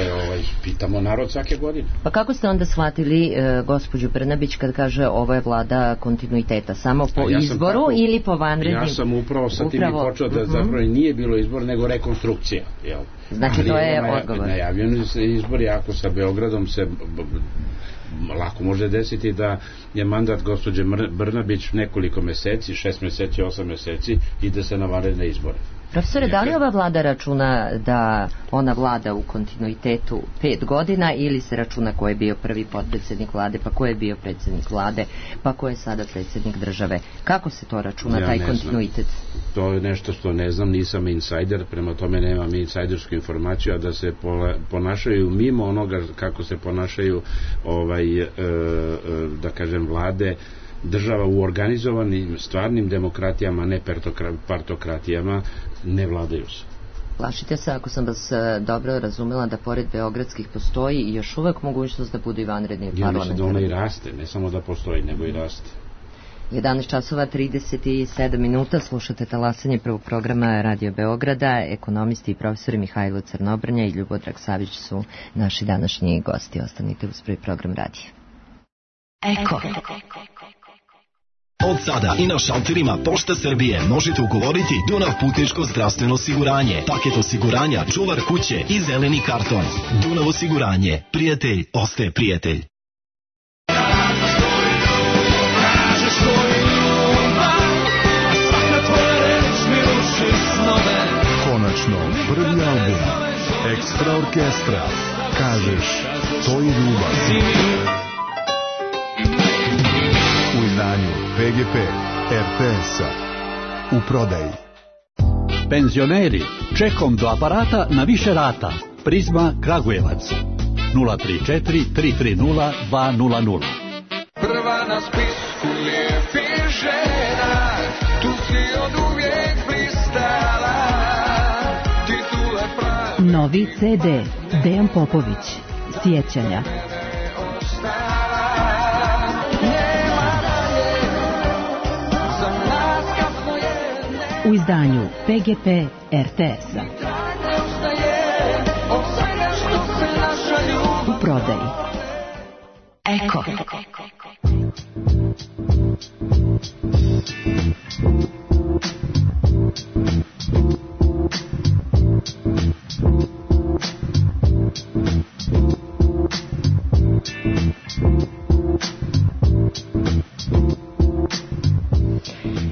pitamo narod svake godine. Pa kako ste onda shvatili gospođu Brnabić kad kaže ovo je vlada kontinuiteta? Samo po izboru ili po vanrednim? Ja sam upravo sa tim i počeo da zapravo nije bilo izbor, nego rekonstrukcija. Jel? Znači to je odgovor. Najavljeni se izbori, ako sa Beogradom se lako može desiti da je mandat gospođe Brnabić nekoliko meseci, 6 meseci, 8 meseci, ide se na vanredne izbore. Profesore, da li ova vlada računa da ona vlada u kontinuitetu 5 godina ili se računa ko je bio prvi potpredsjednik vlade, pa ko je bio predsjednik vlade, pa ko je sada predsjednik države? Kako se to računa, taj kontinuitet? To je nešto što ne znam, nisam insajder, prema tome nemam insajdersku informaciju, a da se ponašaju mimo onoga kako se ponašaju da kažem vlade država u organizovanim stvarnim demokratijama, ne partokratijama, ne vladaju se. Plašite se, ako sam vas dobro razumela, da pored beogradskih postoji i još uvek mogućnost da budu i vanredni parlamentarni? Ja mislim da ona i raste, ne samo da postoji, nego i raste. 11 časova 37 minuta, slušate talasanje prvog programa Radio Beograda. Ekonomisti i profesori Mihajlo Crnobrnja i Ljubodrag Savić su naši današnji gosti. Ostanite uz prvi program radija. Eko. Od sada i na šalterima Pošte Srbije možete ugovoriti Dunav putničko zdravstveno osiguranje, paket osiguranja, čuvar kuće i zeleni karton. Dunav osiguranje. Prijatelj ostaje prijatelj. Konačno, prvi album Ekstra orkestra. Kažeš, to je ljubav. U izdanju PGP RTS-a. U prodaji. Penzioneri, čekom do aparata na više rata. Prizma Kragujevac. 034 330 200. Prva na spisku lijepih žena, tu si od uvijek blistala. Titule pravi. Novi CD Dejan Popović. Sjećanja. U izdanju PGP RTS-a. U prodaji. Eko.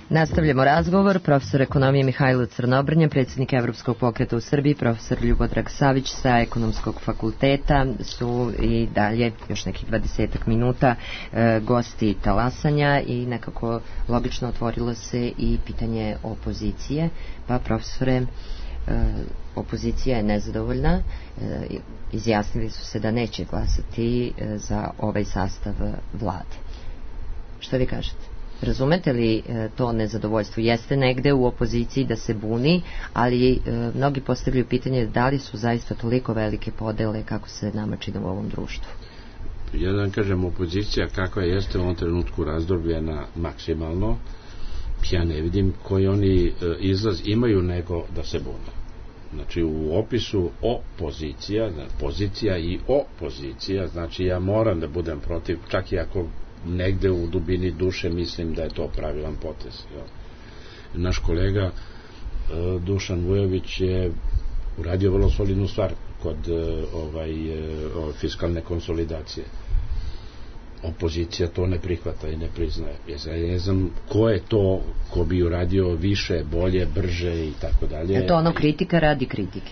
Nastavljamo razgovor. Profesor ekonomije Mihajlo Crnobrnja, predsjednik Evropskog pokreta u Srbiji, profesor Ljubodrag Savić sa Ekonomskog fakulteta su i dalje još nekih 20 minuta gosti talasanja i nekako logično otvorilo se i pitanje opozicije. Pa profesore, opozicija je nezadovoljna, izjasnili su se da neće glasati za ovaj sastav vlade. Što vi kažete? Razumete li to nezadovoljstvo? Jeste negde u opoziciji da se buni, ali mnogi postavljaju pitanje da li su zaista toliko velike podele kako se nama čini u ovom društvu. Ja da kažem, opozicija kakva jeste u ovom trenutku razdrobljena maksimalno, ja ne vidim koji oni izlaz imaju nego da se bune. Znači u opisu opozicija, pozicija i opozicija, znači ja moram da budem protiv, čak i ako negde u dubini duše mislim da je to pravilan potez. Naš kolega Dušan Vujović je uradio vrlo solidnu stvar kod fiskalne konsolidacije. Opozicija to ne prihvata i ne priznaje. Ja ne znam ko je to ko bi uradio više, bolje, brže i tako dalje. Je to ono kritika radi kritike?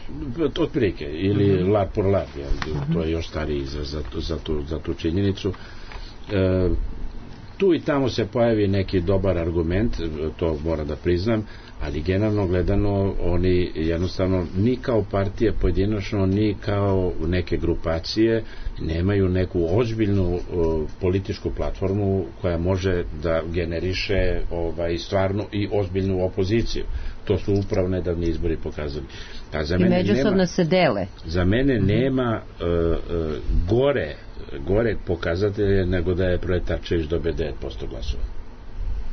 Od prilike, ili lar por lar, to je još stariji izraz za tu činjenicu. Tu i tamo se pojavi neki dobar argument, to moram da priznam, ali generalno gledano oni jednostavno ni kao partije pojedinačno, ni kao neke grupacije nemaju neku ozbiljnu političku platformu koja može da generiše stvarnu i ozbiljnu opoziciju. To su upravo nedavni izbori pokazali. I međusobno se dele. Za mene nema gore pokazatelje nego da je Proletarčević dobio 9% glasova.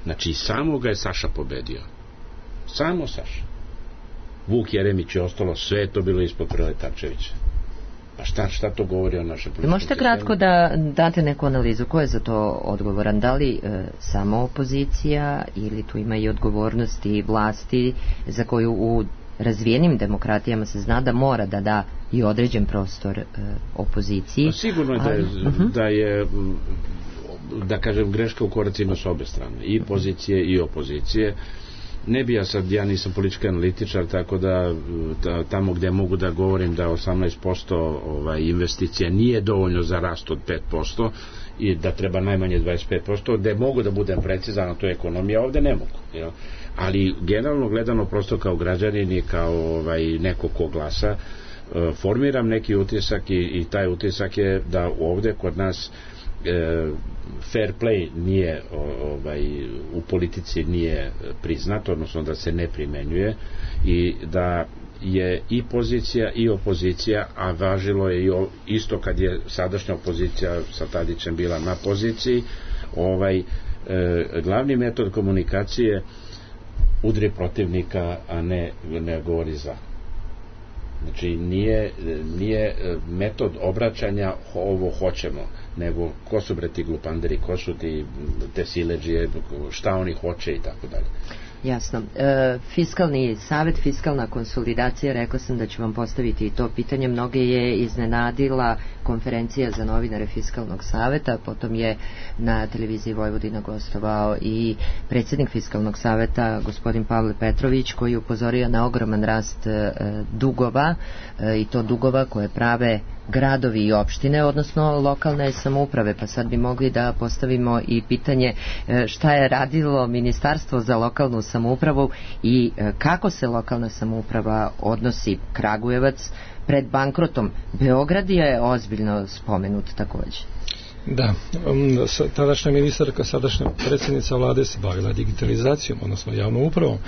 Znači samo ga je Saša pobedio. Samo Saša. Vuk Jeremić je ostalo, sve je to bilo ispod Proletarčevića. Pa šta to govori o našem političkom? Možete kratko da date neku analizu, ko je za to odgovoran? Da li samo opozicija ili tu ima i odgovornosti vlasti za koju u razvijenim demokratijama se zna da mora da da i određen prostor opoziciji. Pa sigurno je da je da kažem greška u koracima s obe strane, i pozicije i opozicije. Ne bi ja nisam politički analitičar, tako da tamo gde mogu da govorim da 18% investicija nije dovoljno za rast od 5% i da treba najmanje 25%, gde mogu da budem precizan, a to je ekonomija, ovde ne mogu. Ali generalno gledano, prosto kao građanin i kao neko ko glasa, formiram neki utisak i taj utisak je da ovde kod nas fair play nije u politici nije priznat, odnosno da se ne primenjuje i da je i pozicija i opozicija, a važilo je isto kad je sadašnja opozicija sa Tadićem bila na poziciji, glavni metod komunikacije udri protivnika, a ne govori za. Znači nije metod obraćanja ovo hoćemo, nego ko su bre ti glupanderi, ko su ti te siledžije, šta oni hoće i tako dalje. Jasno. Fiskalni savet, fiskalna konsolidacija, rekla sam da ću vam postaviti i to pitanje. Mnoge je iznenadila konferencija za novinare Fiskalnog saveta, potom je na televiziji Vojvodina gostovao i predsjednik Fiskalnog saveta, gospodin Pavle Petrović, koji je upozorio na ogroman rast dugova, i to dugova koje prave gradovi i opštine, odnosno lokalne samouprave. Pa sad bi mogli da postavimo i pitanje šta je radilo Ministarstvo za lokalnu samoupravu i kako se lokalna samouprava odnosi. Kragujevac pred bankrotom. Beograd je ozbiljno spomenut također. Da, tadašnja ministarka, sadašnja predsjednica vlade se bavila digitalizacijom, odnosno javnom upravom,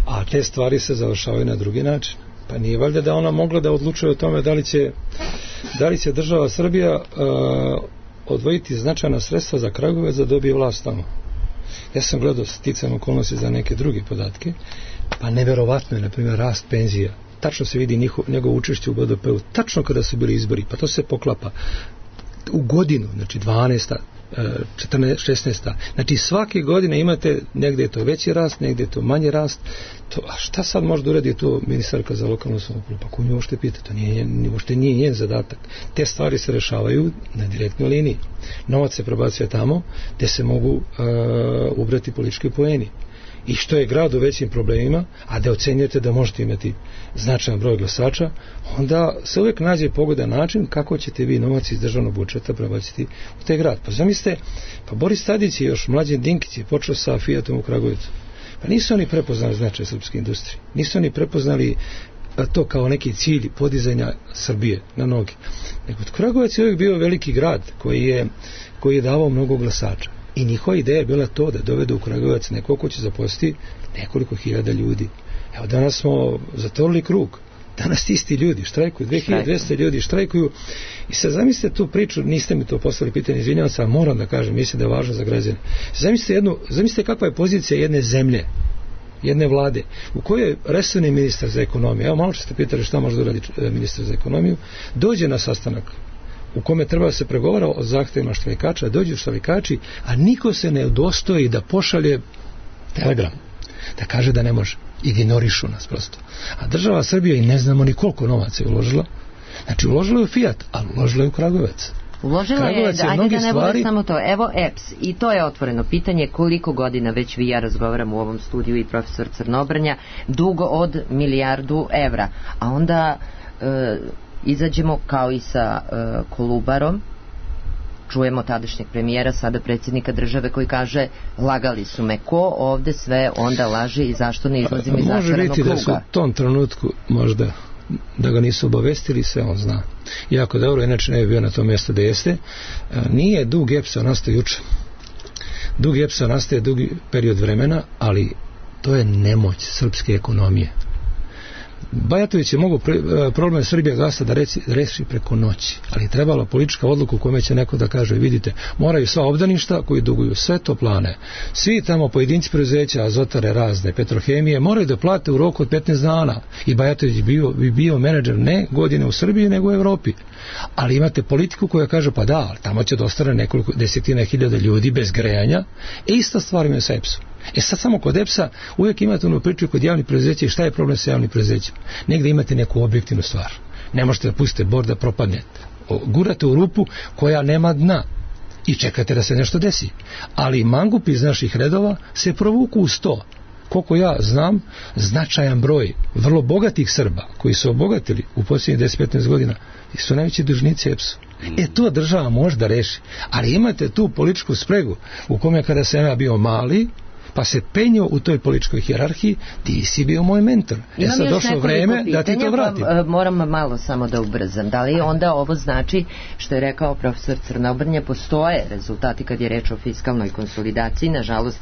a te stvari se završavaju na drugi način. Pa nije valjda da ona mogla da odlučuje o tome da li će država Srbija odvojiti značajna sredstva za Kragujevac da dobije vlast tamo. Ja sam gledao sticajem okolnosti za neke druge podatke, pa neverovatno je, na primjer, rast penzija. Tačno se vidi njegovo učešće u BDP-u, tačno kada su bili izbori, pa to se poklapa. u godinu, znači 12. 14, 16. Znači svake godine imate, negdje je to veći rast, negdje je to manji rast. A šta sad može da uradi to ministarka za lokalnu samoupravu? Pa ko nju možete pitati? To nije njen zadatak. Te stvari se rešavaju na direktnoj liniji. Novac se prebacuje tamo gde se mogu ubrati politički poeni. I što je grad u većim problemima, a da ocenjujete da možete imati značajan broj glasača, onda se uvijek nađe pogodan način kako ćete vi novac iz državnog budžeta prebaciti u taj grad. Pa zamislite, pa Boris Tadić i još Mlađan Dinkić je počeo sa Fiatom u Kragujevcu. Pa nisu oni prepoznali značaj srpske industrije. Nisu oni prepoznali to kao neki cilj podizanja Srbije na noge. Nego Kragujevac je uvijek bio veliki grad koji je davao mnogo glasača. I njihova ideja je bila to da dovedu u Kragujevac neko ko će zaposliti nekoliko hiljada ljudi. Evo danas smo zatvorili krug. Danas ti isti ljudi štrajkuju, 2200 ljudi štrajkuju. I sad zamislite tu priču, niste mi to poslali pitanje, izvinjavam se, ali moram da kažem, mislim da je važno za građane. Zamislite kakva je pozicija jedne zemlje, jedne vlade, u kojoj je resorni ministar za ekonomiju, evo malo ste pitali šta može da uradi ministar za ekonomiju, dođe na sastanak u kome treba da se pregovara o zahtevima štrajkača, dođu štrajkači, a niko se ne udostoji da pošalje telegram, da kaže da ne može. Ignorišu nas prosto. A država Srbija i ne znamo ni koliko novaca je uložila. Znači uložila je u Fiat, ali uložila je u Kragujevac. Uložila je, ajde da ne bude samo to. Evo EPS, i to je otvoreno pitanje, koliko godina već vi ja razgovaram u ovom studiju i profesor Crnobrnja, dugo od 1 milijardu evra. A onda izađemo kao i sa Kolubarom, čujemo tadašnjeg premijera, sada predsjednika države koji kaže lagali su me, ko ovde sve onda laže i zašto ne izlazimo iz začaranog kruga. Može biti da su u tom trenutku možda da ga nisu obavestili, sve on zna. Jako dobro, inače ne bi bio na tom mjestu da jeste. Nije dug EPS-a nastao juče. Dug EPS-a nastaje dugi period vremena, ali to je nemoć srpske ekonomije. Bajatović je mogu problem Srbija gasa da reši preko noći, ali je trebala politička odluka u kojoj će neko da kaže, vidite, moraju sva obdaništa koji duguju sve toplane, svi tamo pojedinci preduzeća, azotare razne, petrohemije, moraju da plate u roku od 15 dana. I Bajatović bi bio menadžer ne godine u Srbiji, nego u Evropi. Ali imate politiku koja kaže, pa da, tamo će da ostane nekoliko desetina hiljada ljudi bez grejanja. Ista stvar ima sa EPS-om. Sad samo kod EPS-a uvijek imate onu priču kod javnih preduzeća i šta je problem sa javnim preduzećima. Negdje imate neku objektivnu stvar. Ne možete da pustite bor da propadne. Gurate u rupu koja nema dna i čekate da se nešto desi. Ali mangupi iz naših redova se provuku u 100. Koliko ja znam, značajan broj vrlo bogatih Srba koji su obogatili u posljednjih 10-15 godina su najveći dužnici EPS-u. To država može da reši. Ali imate tu političku spregu u kome kada sam ja bio mali, pa se penio u toj političkoj hijerarhiji, ti si bio moj mentor. Sad došlo vreme da ti to vratim. Moram malo samo da ubrzam. Da li onda ovo znači, što je rekao profesor Crnobrnja, postoje rezultati kad je reč o fiskalnoj konsolidaciji, nažalost,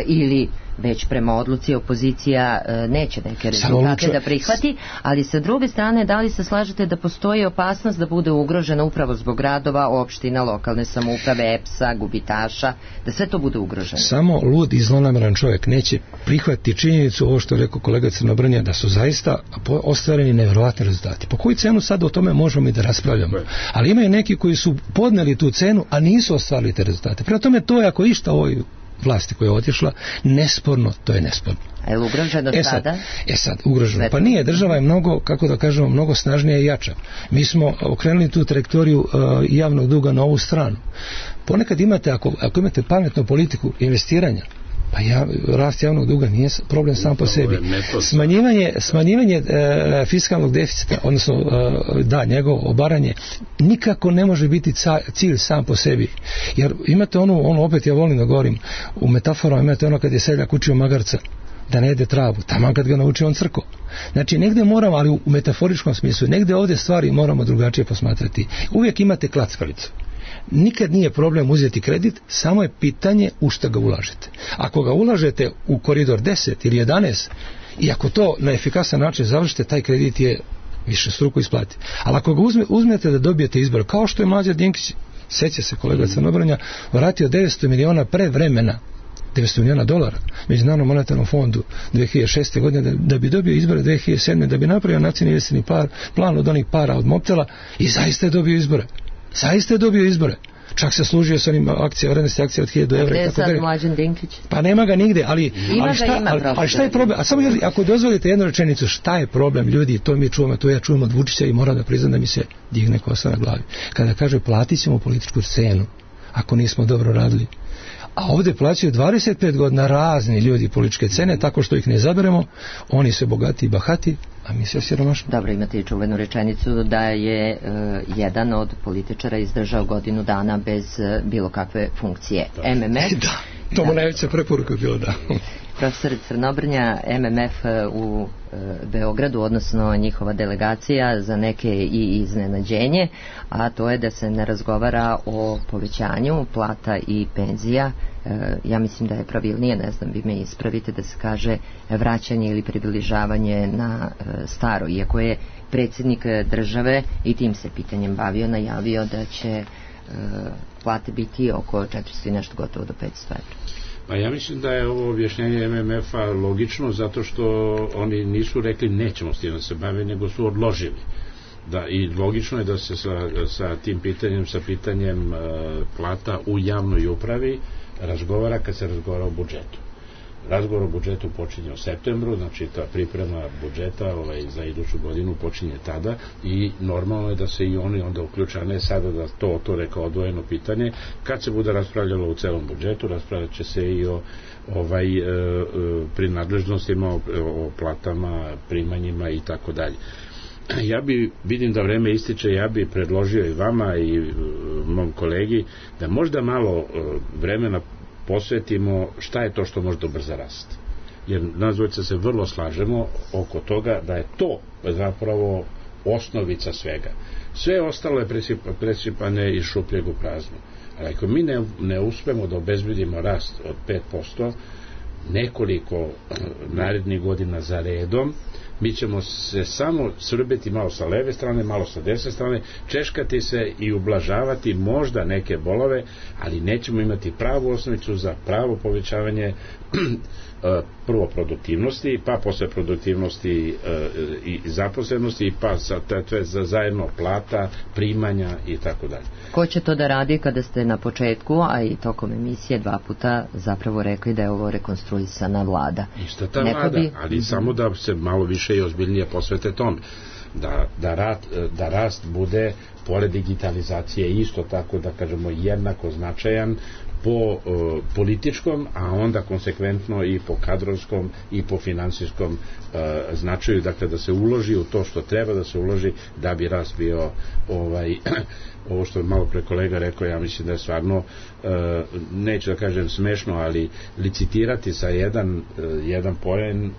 ili već prema odluci opozicija neće neke rezultate da prihvati, ali sa druge strane, da li se slažete da postoji opasnost da bude ugrožena upravo zbog gradova, opština, lokalne samouprave, EPS-a, gubitaša, da sve to bude ugroženo? Samo lud i zlonameran čovjek neće prihvatiti činjenicu, ovo što je rekao kolega Crnobrnja, da su zaista ostvareni nevjerovatni rezultati. Po koju cenu sad o tome možemo i da raspravljamo? Ali imaju neki koji su podneli tu cenu, a nisu ostvarili te rezultate. Prema tome, to je ako išta ovoj vlasti koja je otišla, nesporno, to je nesporno. A je li ugroženo sada? Sad, ugroženo. Pa nije, država je mnogo, kako da kažemo, mnogo snažnija i jača. Mi smo okrenuli tu trajektoriju javnog duga na ovu stranu. Ponekad imate, ako imate pametnu politiku investiranja, pa rast javnog duga nije problem sam po sebi. Smanjivanje fiskalnog deficita, odnosno njegovo obaranje, nikako ne može biti cilj sam po sebi. Jer imate ono opet ja volim da govorim, u metaforama imate ono kad je seljak učio magarca da ne jede travu, tamo kad ga nauči on crko. Znači negdje moramo, ali u metaforičkom smislu, negdje ovdje stvari moramo drugačije posmatrati. Uvijek imate klackalicu. Nikad nije problem uzeti kredit, samo je pitanje u što ga ulažete. Ako ga ulažete u koridor 10 ili 11 i ako to na efikasan način završite, taj kredit je višestruko isplati. Ali ako ga uzmete da dobijete izbor, kao što je Mlađan Dinkić, sjeća se kolega Crnobrnja, vratio 900 miliona pre vremena, $900 miliona Međunarodnom monetarnom fondu 2006. godine da bi dobio izbore 2007. da bi napravio nacionalni investicioni plan od onih para od Mobtela i zaista je dobio izbore. Zaista je dobio izbore. Čak se služio sa onim vrednosti akcija od 1000 evra. Gde je sad Mlađan Dinkić? Pa nema ga nigde, ali šta je problem? A samo ako dozvolite jednu rečenicu, šta je problem ljudi, to mi čujemo, to ja čujem od Vučića i moram da priznam da mi se digne kosa na glavi. Kada kaže platit ćemo političku scenu, ako nismo dobro radili. A ovde plaćaju 25 godina razni ljudi političke cene, tako što ih ne zaberemo, oni se bogati i bahati, a mi se siromašni. Dobro, imate i čuvenu rečenicu da je jedan od političara izdržao godinu dana bez bilo kakve funkcije. MMF... Da, to mu najveća preporuka bilo, da. Profesor Crnobrnja, MMF u Beogradu, odnosno njihova delegacija, za neke i iznenađenje, a to je da se ne razgovara o povećanju plata i penzija. Ja mislim da je pravilnije, ne znam, vi me ispravite, da se kaže vraćanje ili približavanje na staro, iako je predsjednik države i tim se pitanjem bavio, najavio da će plate biti oko 400 i nešto, gotovo do 500 evra. Pa ja mislim da je ovo objašnjenje MMF-a logično, zato što oni nisu rekli nećemo s tim da se bave, nego su odložili. Da, i logično je da se sa tim pitanjem, sa pitanjem plata u javnoj upravi razgovara kad se razgovara o budžetu. Razgovor o budžetu počinje u septembru, znači ta priprema budžeta za iduću godinu počinje tada i normalno je da se i oni onda uključa, ne sada da to rekao odvojeno pitanje. Kad se bude raspravljalo u celom budžetu, raspravljat će se i o prinadležnostima, o platama, primanjima i tako dalje. Vidim da vreme ističe, ja bi predložio i vama i mom kolegi da možda malo vremena posvetimo šta je to što može da ubrza rast. Jer nas dvojica se vrlo slažemo oko toga da je to zapravo osnovica svega. Sve ostalo je presipane iz šupljeg u prazno. Ali ako mi ne uspemo da obezbedimo rast od 5% nekoliko narednih godina za redom, mi ćemo se samo srbeti malo sa leve strane, malo sa desne strane, češkati se i ublažavati možda neke bolove, ali nećemo imati pravu osnovicu za pravo povećavanje prvo produktivnosti, pa posle produktivnosti i zaposlenosti, pa zajedno plata, primanja i tako dalje. Ko će to da radi kada ste na početku, a i tokom emisije 2 puta zapravo rekli da je ovo rekonstruisana vlada? Ista ta vlada, ali samo da se malo više i ozbiljnije posvete tome. Da rast bude, pored digitalizacije, isto tako da kažemo jednako značajan po političkom, a onda konsekventno i po kadrovskom i po finansijskom značaju, dakle da se uloži u to što treba da se uloži da bi rast bio ovo što je malo pre kolega rekao, ja mislim da je stvarno neću da kažem smešno, ali licitirati sa jedan poen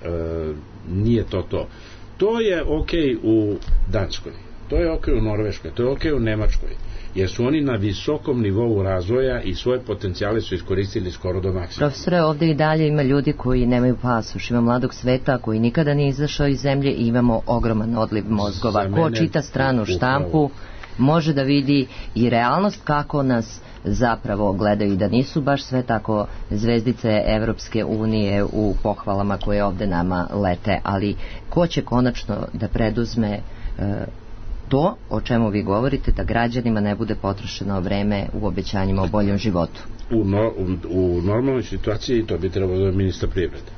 nije to. To je okej u Danskoj, to je okej u Norveškoj, to je okej u Nemačkoj, jer su oni na visokom nivou razvoja i svoje potencijale su iskoristili skoro do maksimuma. Profesore, ovde i dalje ima ljudi koji nemaju pasoš, ima mladog sveta koji nikada nije izašao iz zemlje i imamo ogroman odliv mozgova. Ko čita stranu štampu može da vidi i realnost kako nas zapravo gledaju i da nisu baš sve tako zvezdice Evropske unije u pohvalama koje ovde nama lete, ali ko će konačno da preduzme to o čemu vi govorite, da građanima ne bude potrošeno vreme u obećanjima o boljem životu? U normalnoj situaciji to bi trebalo da je ministar privrede.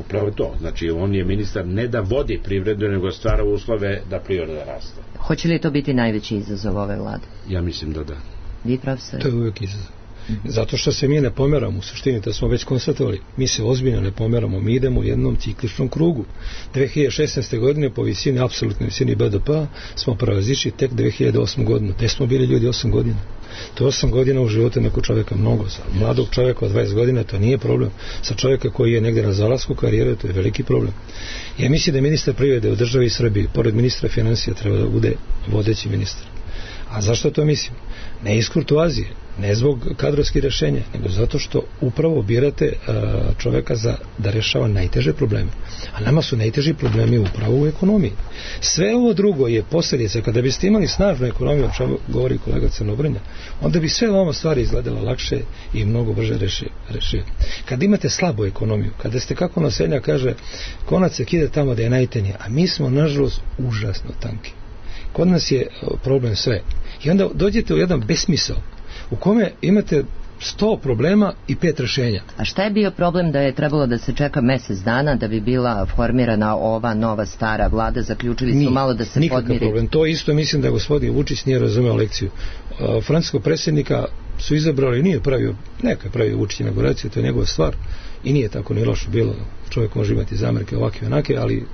Upravo to, znači on je ministar ne da vodi privredu, nego stvara uslove da privreda raste. Hoće li to biti najveći izazov ove vlade? Ja mislim da da. Vi, profesor? To je uvijek izazov. Zato što se mi ne pomeramo, u suštini to smo već konstatovali, mi se ozbiljno ne pomeramo, mi idemo u jednom cikličnom krugu. 2016. godine po visini, apsolutnoj visini BDP-a smo prelazišli tek 2008. godinu. Te smo bili ljudi 8 godina. To je 8 godina u životu nekog čovjeka mnogo. Sa mladog čovjeka od 20 godina to nije problem. Sa čovjeka koji je negdje na zalasku karijere to je veliki problem. Ja mislim da ministar privrede u državi Srbiji, pored ministra financija, treba da bude vodeći ministar. A zašto to mislim? Ne iz kurtoazije, ne zbog kadrovskih rješenja, nego zato što upravo birate čovjeka da rješava najteže probleme. A nama su najteži problemi upravo u ekonomiji. Sve ovo drugo je posljedica. Kada biste imali snažnu ekonomiju, o čemu govori kolega Crnobrnja, onda bi sve ovo stvari izgledala lakše i mnogo brže rešio. Kad imate slabu ekonomiju, kada ste, kako naselja kaže, konac se kide tamo da je najtenije, a mi smo nažalost užasno tanki. kod nas je problem sve. I onda dođete u jedan besmisao u kome imate 100 problema i 5 rešenja. A šta je bio problem da je trebalo da se čeka mesec dana da bi bila formirana ova nova stara vlada? Zaključili su malo da se podmiri. Nikakav problem. To isto mislim da gospodin Vučić nije razumeo lekciju. Francuskog predsjednika su izabrali, nije pravio, neka je pravio Vučić inauguraciju, to je njegova stvar i nije tako ni loše bilo. Čovjek može imati zamerke ovakve onake, ali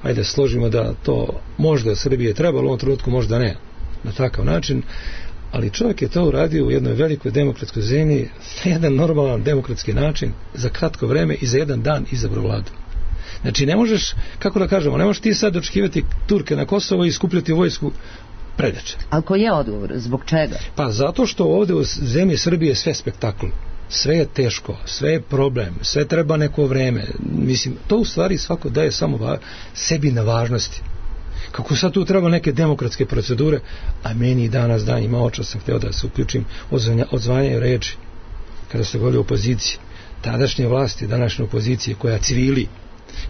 ajde složimo da to možda Srbije trebalo u ovom trenutku, možda ne na takav način, ali čovjek je to uradio u jednoj velikoj demokratskoj zemlji na jedan normalan demokratski način, za kratko vreme i za jedan dan izabrao vladu. Znači ne možeš, kako da kažemo, ne možeš ti sad očekivati Turke na Kosovo i skupljati vojsku predače. Ali koji je odgovor? Zbog čega? Pa zato što ovdje u zemlji Srbije sve spektakl. Sve je teško, sve je problem, sve treba neko vreme. Mislim, to u stvari svako daje samo sebi na važnosti. Kako sad tu treba neke demokratske procedure, a meni danas dan ima očas sam htio da se uključim odzvanjaju reči kada se govori o opoziciji. Tadašnje vlasti, današnje opozicije koja cvili,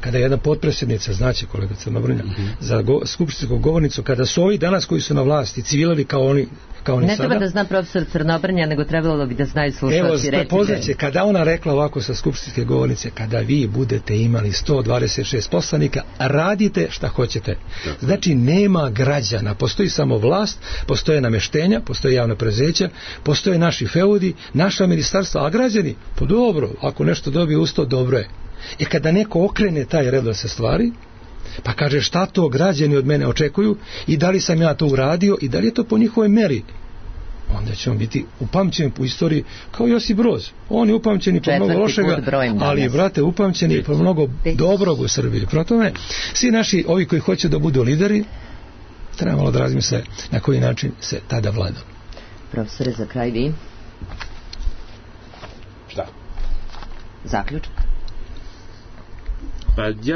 kada je jedna potpredsjednica, znači kolega Crnobrnja, za skupštinsku govornicu, kada su ovi danas koji su na vlasti cvilali kao oni ne sada. Ne treba da zna profesor Crnobrnja, nego trebalo bi da znaju slušalci. Evo, poznaće, kada ona rekla ovako sa skupštinske govornice, kada vi budete imali 126 poslanika, radite šta hoćete. Znači, nema građana, postoji samo vlast, postoje namještenja, postoje javna preduzeća, postoje naši feudi, naša ministarstva, a građani, pa dobro, ako nešto dobije usto, dobro je. I kada neko okrene taj redoslijed se stvari, pa kaže šta to građani od mene očekuju i da li sam ja to uradio i da li je to po njihovoj meri, onda ćemo biti upamćeni po istoriji kao Josip Broz. On je upamćeni po mnogo lošega, ali brate upamćeni po mnogo dobrog u Srbiji. Prema tome, svi naši ovi koji hoće da budu lideri, treba malo da razmisle na koji način se tada vlada. Profesore, za kraj vi? Šta? Zaključak.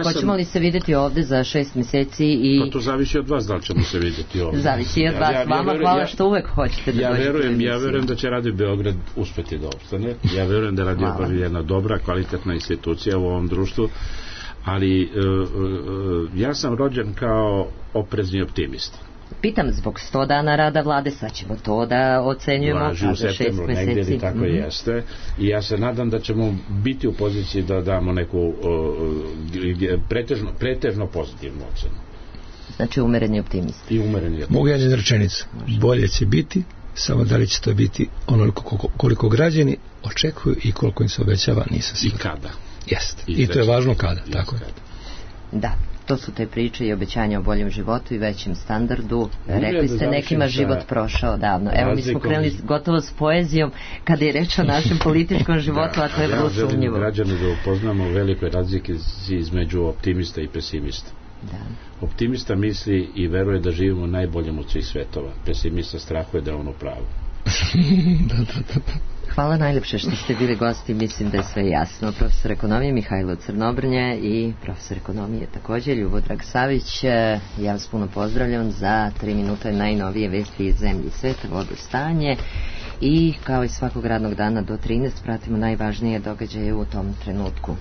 Pa hoćemo li se vidjeti ovdje za 6 mjeseci i... Pa to zavisi od vas da li ćemo se vidjeti ovdje. Zavisi od vas. Vama hvala što uvek hoćete da dođete. Ja verujem da će Radio Beograd uspjeti da opstane. Ja verujem da Radio Beograd je jedna dobra, kvalitetna institucija u ovom društvu, ali ja sam rođen kao oprezni optimist. Pitam zbog 100 dana rada vlade, sad ćemo to da ocenjujemo. Vlaži u septembru, negdje tako jeste. I ja se nadam da ćemo biti u poziciji da damo neku pretežno pozitivnu ocenu. Znači umereni optimist. I umereni optimist. Mogu jednu rečenicu. Bolje će biti, samo da li će to biti onoliko koliko građani očekuju i koliko im se obećava, nisam siguran. I kada. Jeste. I to je važno kada. Tako je. Da. To su te priče i obećanja o boljem životu i većem standardu. Rekli ste, nekima život prošao davno. Evo, mi smo krenuli gotovo s poezijom kada je reč o našem političkom životu, a to je vrlo sumnjivo. Ja želim građane da upoznamo velikoj razlike između optimista i pesimista. Da. Optimista misli i veruje da živimo najboljem od svih svetova. Pesimista strahuje da je on u pravu. Hvala najljepše što ste bili gosti, mislim da je sve jasno. Profesor ekonomije Mihajlo Crnobrnja i profesor ekonomije također Ljubodrag Savić. Ja vas puno pozdravljam za 3 minuta najnovije vesti iz zemlje i sveta, vodostanje i kao i svakog radnog dana do 13 pratimo najvažnije događaje u tom trenutku.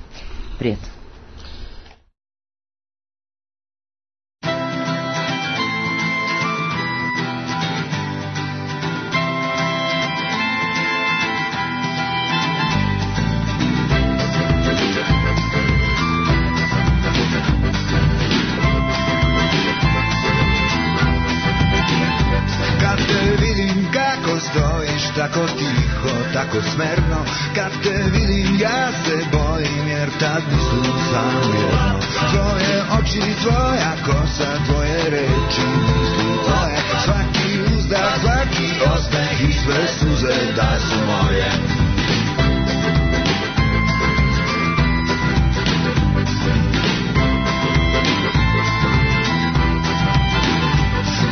Prijatno. Tako tiho, tako smerno, kad te vidim ja se bojim, jer tad mislim samo jedno. Tvoje oči, tvoja kosa, tvoje reči, misli tvoje, svaki uzdah, svaki osmeh i sve suze da su moje.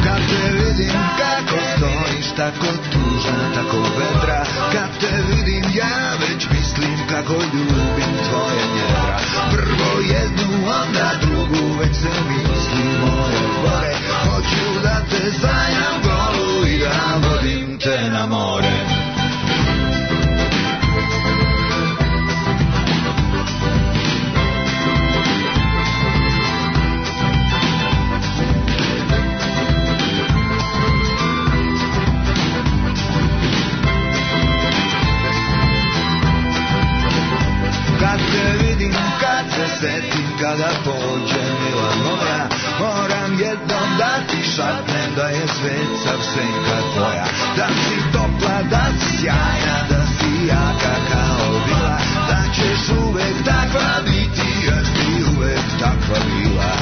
Kad te vidim kako stojiš, tako tužna, tako vedra, kad te vidim ja već mislim kako ljubim tvoje njedra. Prvo jednu, onda drugu, već se misli moje gore. Hoću da te sanjam golu i da vodim te na more. jednom da ti šapnem da je svet sav senka tvoja, da si topla, da si sjajna, da si jaka kao bila, da ćeš uvek takva biti, jer ti uvek takva bila.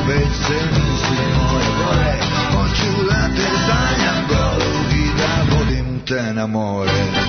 Već se misli moje gore, hoću da te sanjam golog i da vodim te na more.